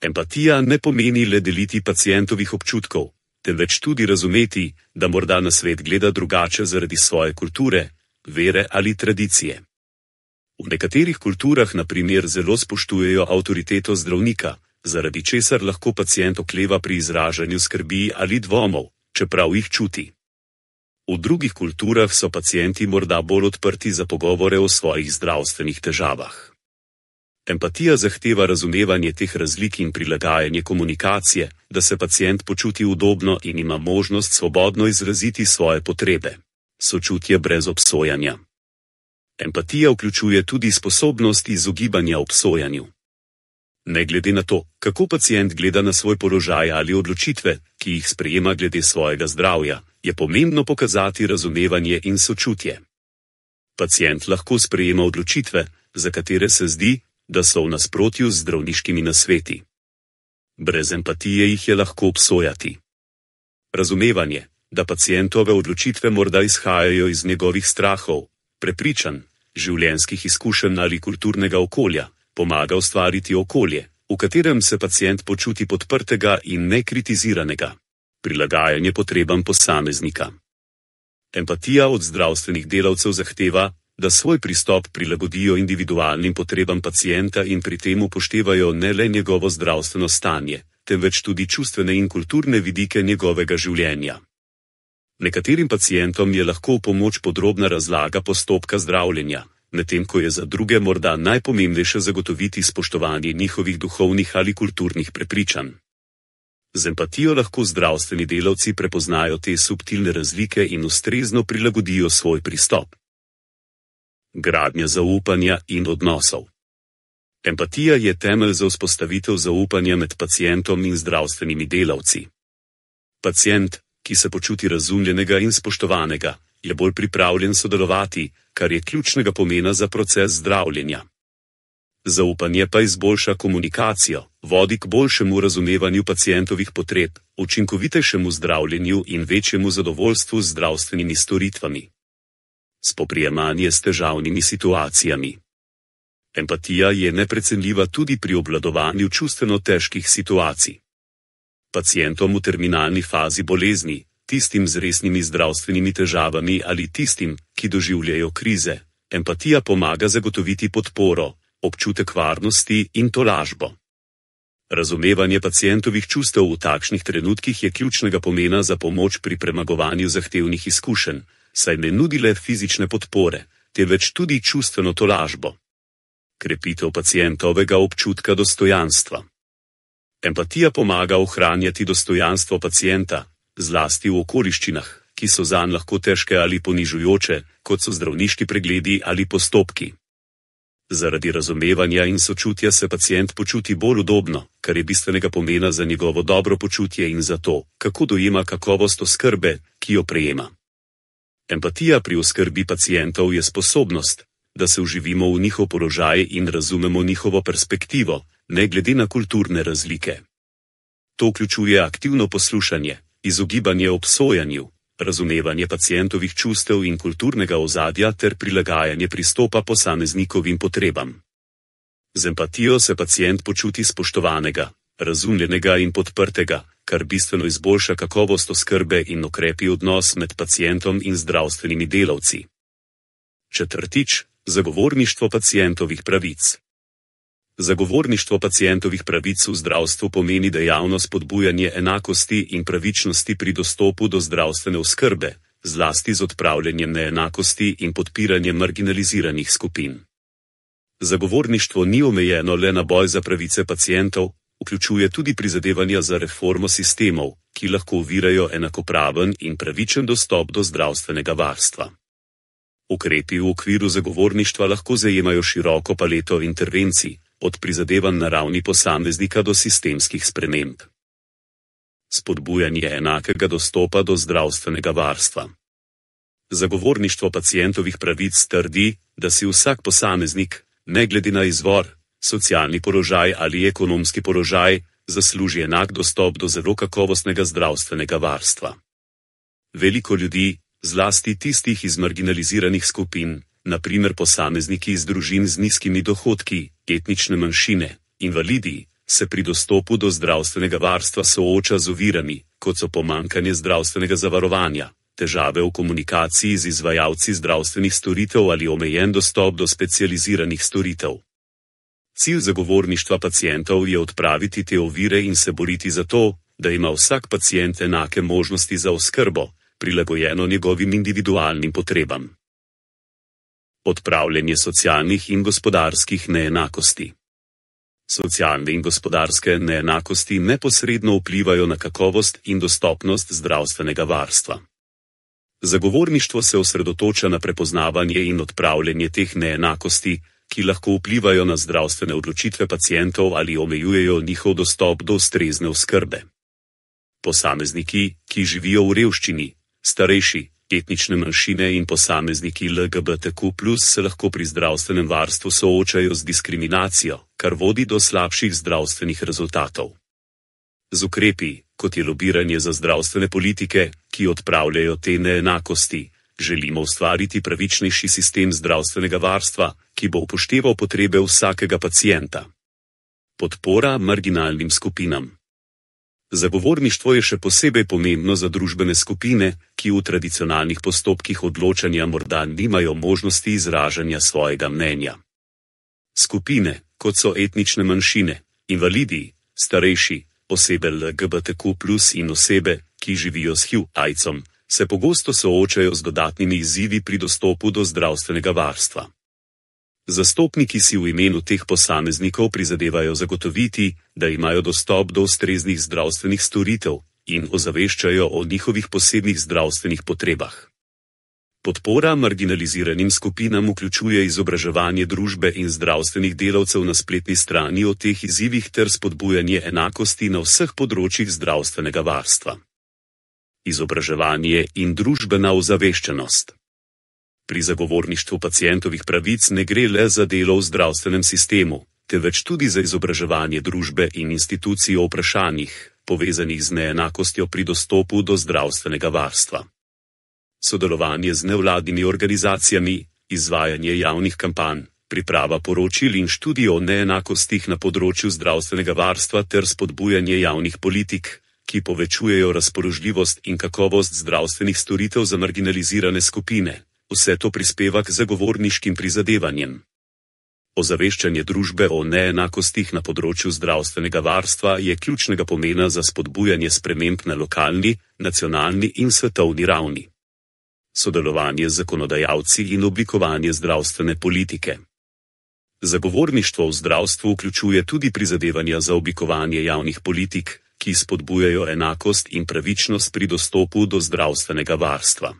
Empatija ne pomeni le deliti pacientovih občutkov, temveč tudi razumeti, da morda na svet gleda drugače zaradi svoje kulture, vere ali tradicije. V nekaterih kulturah na primer zelo spoštujejo avtoriteto zdravnika, zaradi česar lahko pacient okleva pri izražanju skrbi ali dvomov, čeprav jih čuti. V drugih kulturah so pacienti morda bolj odprti za pogovore o svojih zdravstvenih težavah. Empatija zahteva razumevanje teh razlik in prilagajanje komunikacije, da se pacient počuti udobno in ima možnost svobodno izraziti svoje potrebe. Sočutje brez obsojanja. Empatija vključuje tudi sposobnost izogibanja obsojanju. Ne glede na to, kako pacient gleda na svoj položaj ali odločitve, ki jih sprejema glede svojega zdravja, je pomembno pokazati razumevanje in sočutje. Pacient lahko sprejema odločitve, za katere se zdi, da so v nasprotju z zdravniškimi nasveti. Brez empatije jih je lahko obsojati. Razumevanje, da pacientove odločitve morda izhajajo iz njegovih strahov, prepričanj, življenjskih izkušenj ali kulturnega okolja, pomaga ustvariti okolje, v katerem se pacient počuti podprtega in nekritiziranega. Prilagajanje potrebam posameznika. Empatija od zdravstvenih delavcev zahteva, da svoj pristop prilagodijo individualnim potrebam pacienta in pri tem upoštevajo ne le njegovo zdravstveno stanje, temveč tudi čustvene in kulturne vidike njegovega življenja. Nekaterim pacientom je lahko v pomoč podrobna razlaga postopka zdravljenja, medtem ko je za druge morda najpomembnejše zagotoviti spoštovanje njihovih duhovnih ali kulturnih prepričanj. Z empatijo lahko zdravstveni delavci prepoznajo te subtilne razlike in ustrezno prilagodijo svoj pristop. Gradnja zaupanja in odnosov. Empatija je temelj za vzpostavitev zaupanja med pacientom in zdravstvenimi delavci. Pacient, ki se počuti razumljenega in spoštovanega, je bolj pripravljen sodelovati, kar je ključnega pomena za proces zdravljenja. Zaupanje pa izboljša komunikacijo, vodi k boljšemu razumevanju pacientovih potreb, učinkovitejšemu zdravljenju in večjemu zadovoljstvu z zdravstvenimi storitvami. Spoprijemanje s težavnimi situacijami. Empatija je neprecenljiva tudi pri obvladovanju čustveno težkih situacij. Pacientom v terminalni fazi bolezni, tistim z resnimi zdravstvenimi težavami ali tistim, ki doživljajo krize, empatija pomaga zagotoviti podporo, občutek varnosti in tolažbo. Razumevanje pacientovih čustev v takšnih trenutkih je ključnega pomena za pomoč pri premagovanju zahtevnih izkušenj, saj ne nudi le fizične podpore, temveč tudi čustveno tolažbo. Krepitev pacientovega občutka dostojanstva. Empatija pomaga ohranjati dostojanstvo pacienta, zlasti v okoliščinah, ki so zanj lahko težke ali ponižujoče, kot so zdravniški pregledi ali postopki. Zaradi razumevanja in sočutja se pacient počuti bolj udobno, kar je bistvenega pomena za njegovo dobro počutje in za to, kako dojema kakovost oskrbe, ki jo prejema. Empatija pri oskrbi pacientov je sposobnost, da se vživimo v njihov položaj in razumemo njihovo perspektivo, ne glede na kulturne razlike. To vključuje aktivno poslušanje, izogibanje obsojanju, razumevanje pacientovih čustev in kulturnega ozadja ter prilagajanje pristopa posameznikovim potrebam. Z empatijo se pacient počuti spoštovanega, razumljenega in podprtega, kar bistveno izboljša kakovost oskrbe in okrepi odnos med pacientom in zdravstvenimi delavci. Četrtič, zagovorništvo pacientovih pravic. Zagovorništvo pacientovih pravic v zdravstvu pomeni dejavno spodbujanje enakosti in pravičnosti pri dostopu do zdravstvene oskrbe, zlasti z odpravljanjem neenakosti in podpiranjem marginaliziranih skupin. Zagovorništvo ni omejeno le na boj za pravice pacientov, vključuje tudi prizadevanja za reformo sistemov, ki lahko ovirajo enakopraven in pravičen dostop do zdravstvenega varstva. Ukrepi v okviru zagovorništva lahko zajemajo široko paleto intervencij, od prizadevanj na ravni posameznika do sistemskih sprememb. Spodbujanje enakega dostopa do zdravstvenega varstva. Zagovorništvo pacientovih pravic trdi, da si vsak posameznik, ne glede na izvor, socialni položaj ali ekonomski položaj, zasluži enak dostop do zelo kakovostnega zdravstvenega varstva. Veliko ljudi, zlasti tistih iz marginaliziranih skupin, na primer posamezniki iz družin z nizkimi dohodki, etnične manjšine, invalidi, se pri dostopu do zdravstvenega varstva sooča z ovirami, kot so pomanjkanje zdravstvenega zavarovanja, težave v komunikaciji z izvajalci zdravstvenih storitev ali omejen dostop do specializiranih storitev. Cilj zagovorništva pacientov je odpraviti te ovire in se boriti za to, da ima vsak pacient enake možnosti za oskrbo, prilagojeno njegovim individualnim potrebam. Odpravljanje socialnih in gospodarskih neenakosti. Socialne in gospodarske neenakosti neposredno vplivajo na kakovost in dostopnost zdravstvenega varstva. Zagovorništvo se osredotoča na prepoznavanje in odpravljanje teh neenakosti, ki lahko vplivajo na zdravstvene odločitve pacientov ali omejujejo njihov dostop do ustrezne oskrbe. Posamezniki, ki živijo v revščini, starejši, etnične manjšine in posamezniki L G B T Q plus se lahko pri zdravstvenem varstvu soočajo z diskriminacijo, kar vodi do slabših zdravstvenih rezultatov. Z ukrepi, kot je lobiranje za zdravstvene politike, ki odpravljajo te neenakosti, želimo ustvariti pravičnejši sistem zdravstvenega varstva, ki bo upošteval potrebe vsakega pacienta. Podpora marginalnim skupinam. Zagovorništvo je še posebej pomembno za družbene skupine, ki v tradicionalnih postopkih odločanja morda nimajo možnosti izražanja svojega mnenja. Skupine, kot so etnične manjšine, invalidi, starejši, osebe L G B T Q plus in osebe, ki živijo s H I V-aidsom, se pogosto soočajo z dodatnimi izzivi pri dostopu do zdravstvenega varstva. Zastopniki si v imenu teh posameznikov prizadevajo zagotoviti, da imajo dostop do ustreznih zdravstvenih storitev in ozaveščajo o njihovih posebnih zdravstvenih potrebah. Podpora marginaliziranim skupinam vključuje izobraževanje družbe in zdravstvenih delavcev na spletni strani o teh izzivih ter spodbujanje enakosti na vseh področjih zdravstvenega varstva. Izobraževanje in družbena ozaveščenost. Pri zagovorništvu pacientovih pravic ne gre le za delo v zdravstvenem sistemu, temveč tudi za izobraževanje družbe in institucij o vprašanjih, povezanih z neenakostjo pri dostopu do zdravstvenega varstva. Sodelovanje z nevladnimi organizacijami, izvajanje javnih kampanj, priprava poročil in študij o neenakostih na področju zdravstvenega varstva ter spodbujanje javnih politik, ki povečujejo razpoložljivost in kakovost zdravstvenih storitev za marginalizirane skupine. Vse to prispeva k zagovorniškim prizadevanjem. Ozaveščanje družbe o neenakostih na področju zdravstvenega varstva je ključnega pomena za spodbujanje sprememb na lokalni, nacionalni in svetovni ravni. Sodelovanje z zakonodajalci in oblikovanje zdravstvene politike. Zagovorništvo v zdravstvu vključuje tudi prizadevanja za oblikovanje javnih politik, ki spodbujajo enakost in pravičnost pri dostopu do zdravstvenega varstva.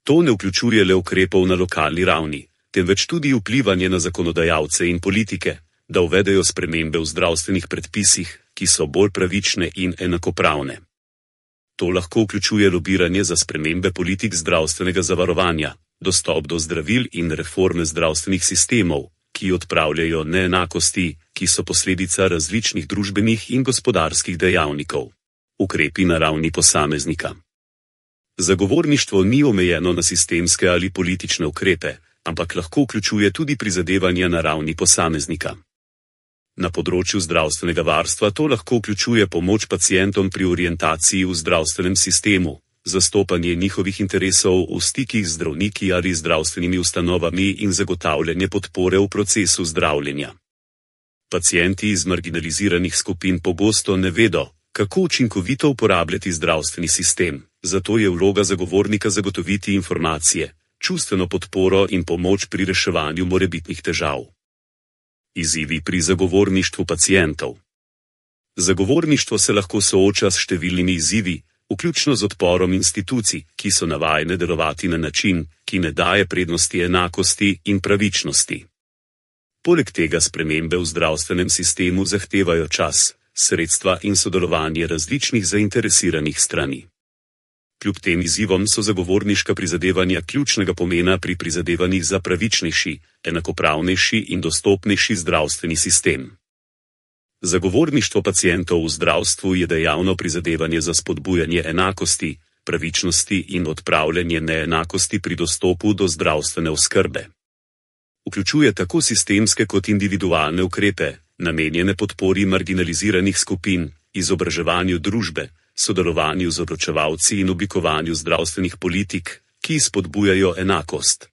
To ne vključuje le ukrepov na lokalni ravni, temveč tudi vplivanje na zakonodajalce in politike, da uvedejo spremembe v zdravstvenih predpisih, ki so bolj pravične in enakopravne. To lahko vključuje lobiranje za spremembe politik zdravstvenega zavarovanja, dostop do zdravil in reforme zdravstvenih sistemov, ki odpravljajo neenakosti, ki so posledica različnih družbenih in gospodarskih dejavnikov. Ukrepi na ravni posameznika. Zagovorništvo ni omejeno na sistemske ali politične ukrepe, ampak lahko vključuje tudi prizadevanja na ravni posameznika. Na področju zdravstvenega varstva to lahko vključuje pomoč pacientom pri orientaciji v zdravstvenem sistemu, zastopanje njihovih interesov v stikih z zdravniki ali zdravstvenimi ustanovami in zagotavljanje podpore v procesu zdravljenja. Pacienti iz marginaliziranih skupin pogosto ne vedo, kako učinkovito uporabljati zdravstveni sistem, zato je vloga zagovornika zagotoviti informacije, čustveno podporo in pomoč pri reševanju morebitnih težav. Izzivi pri zagovorništvu pacientov. Zagovorništvo se lahko sooča s številnimi izzivi, vključno z odporom institucij, ki so navajene delovati na način, ki ne daje prednosti enakosti in pravičnosti. Poleg tega spremembe v zdravstvenem sistemu zahtevajo čas, sredstva in sodelovanje različnih zainteresiranih strani. Kljub tem izzivom so zagovorniška prizadevanja ključnega pomena pri prizadevanjih za pravičnejši, enakopravnejši in dostopnejši zdravstveni sistem. Zagovorništvo pacientov v zdravstvu je dejavno prizadevanje za spodbujanje enakosti, pravičnosti in odpravljanje neenakosti pri dostopu do zdravstvene oskrbe. Vključuje tako sistemske kot individualne ukrepe, namenjene podpori marginaliziranih skupin, izobraževanju družbe, sodelovanju z odločevalci in oblikovanju zdravstvenih politik, ki spodbujajo enakost.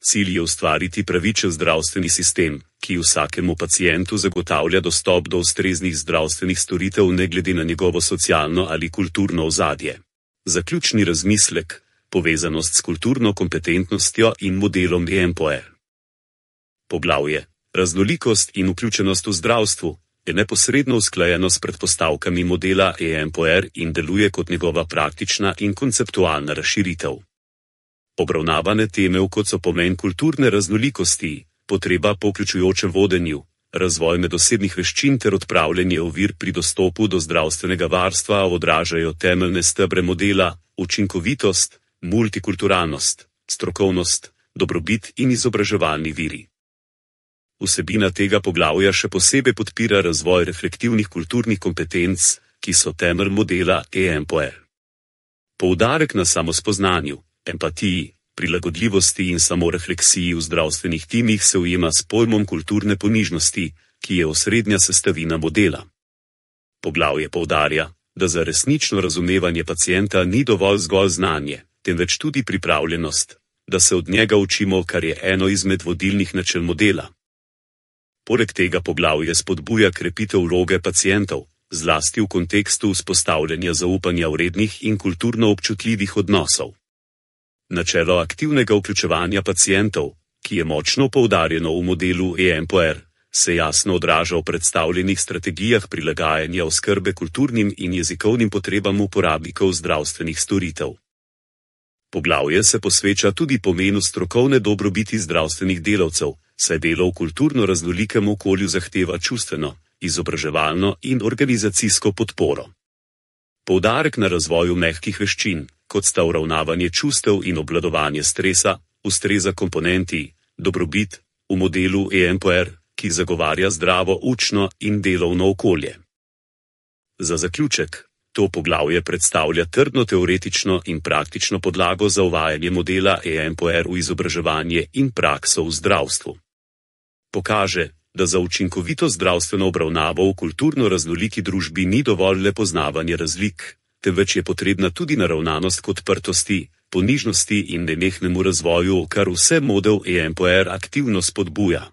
Cilj je ustvariti pravičen zdravstveni sistem, ki vsakemu pacientu zagotavlja dostop do ustreznih zdravstvenih storitev ne glede na njegovo socialno ali kulturno ozadje. Zaključni razmislek, povezanost s kulturno kompetentnostjo in modelom E M P O R. Poglavje: Raznolikost in vključenost v zdravstvu je neposredno usklajeno s predpostavkami modela E M P O R in deluje kot njegova praktična in konceptualna razširitev. Obravnavane teme, kot so pomen kulturne raznolikosti, potreba po vključujočem vodenju, razvoj medosebnih veščin ter odpravljanje ovir pri dostopu do zdravstvenega varstva odražajo temeljne stebre modela: učinkovitost, multikulturalnost, strokovnost, dobrobit in izobraževalni viri. Vsebina tega poglavja še posebej podpira razvoj reflektivnih kulturnih kompetenc, ki so temelj modela E M P O R. Poudarek na samospoznanju, empatiji, prilagodljivosti in samorefleksiji v zdravstvenih timih se ujema s pojmom kulturne ponižnosti, ki je osrednja sestavina modela. Poglavje poudarja, da za resnično razumevanje pacienta ni dovolj zgolj znanje, temveč tudi pripravljenost, da se od njega učimo, kar je eno izmed vodilnih načel modela. Poleg tega poglavje spodbuja krepitev vloge pacientov, zlasti v kontekstu vzpostavljanja zaupanja vrednih in kulturno občutljivih odnosov. Načelo aktivnega vključevanja pacientov, ki je močno poudarjeno v modelu E M P O R, se jasno odraža v predstavljenih strategijah prilagajanja oskrbe kulturnim in jezikovnim potrebam uporabnikov zdravstvenih storitev. Poglavje se posveča tudi pomenu strokovne dobrobiti zdravstvenih delavcev, saj delo v kulturno raznolikem okolju zahteva čustveno, izobraževalno in organizacijsko podporo. Poudarek na razvoju mehkih veščin, kot sta uravnavanje čustev in obvladovanje stresa, ustreza komponenti dobrobit v modelu E M P O R, ki zagovarja zdravo učno in delovno okolje. Za zaključek, to poglavje predstavlja trdno teoretično in praktično podlago za uvajanje modela E M P O R v izobraževanje in prakso v zdravstvu. Pokaže, da za učinkovito zdravstveno obravnavo v kulturno raznoliki družbi ni dovolj le poznavanje razlik, temveč je potrebna tudi naravnanost k odprtosti, ponižnosti in nenehnemu razvoju, kar vse model E M P O R aktivno spodbuja.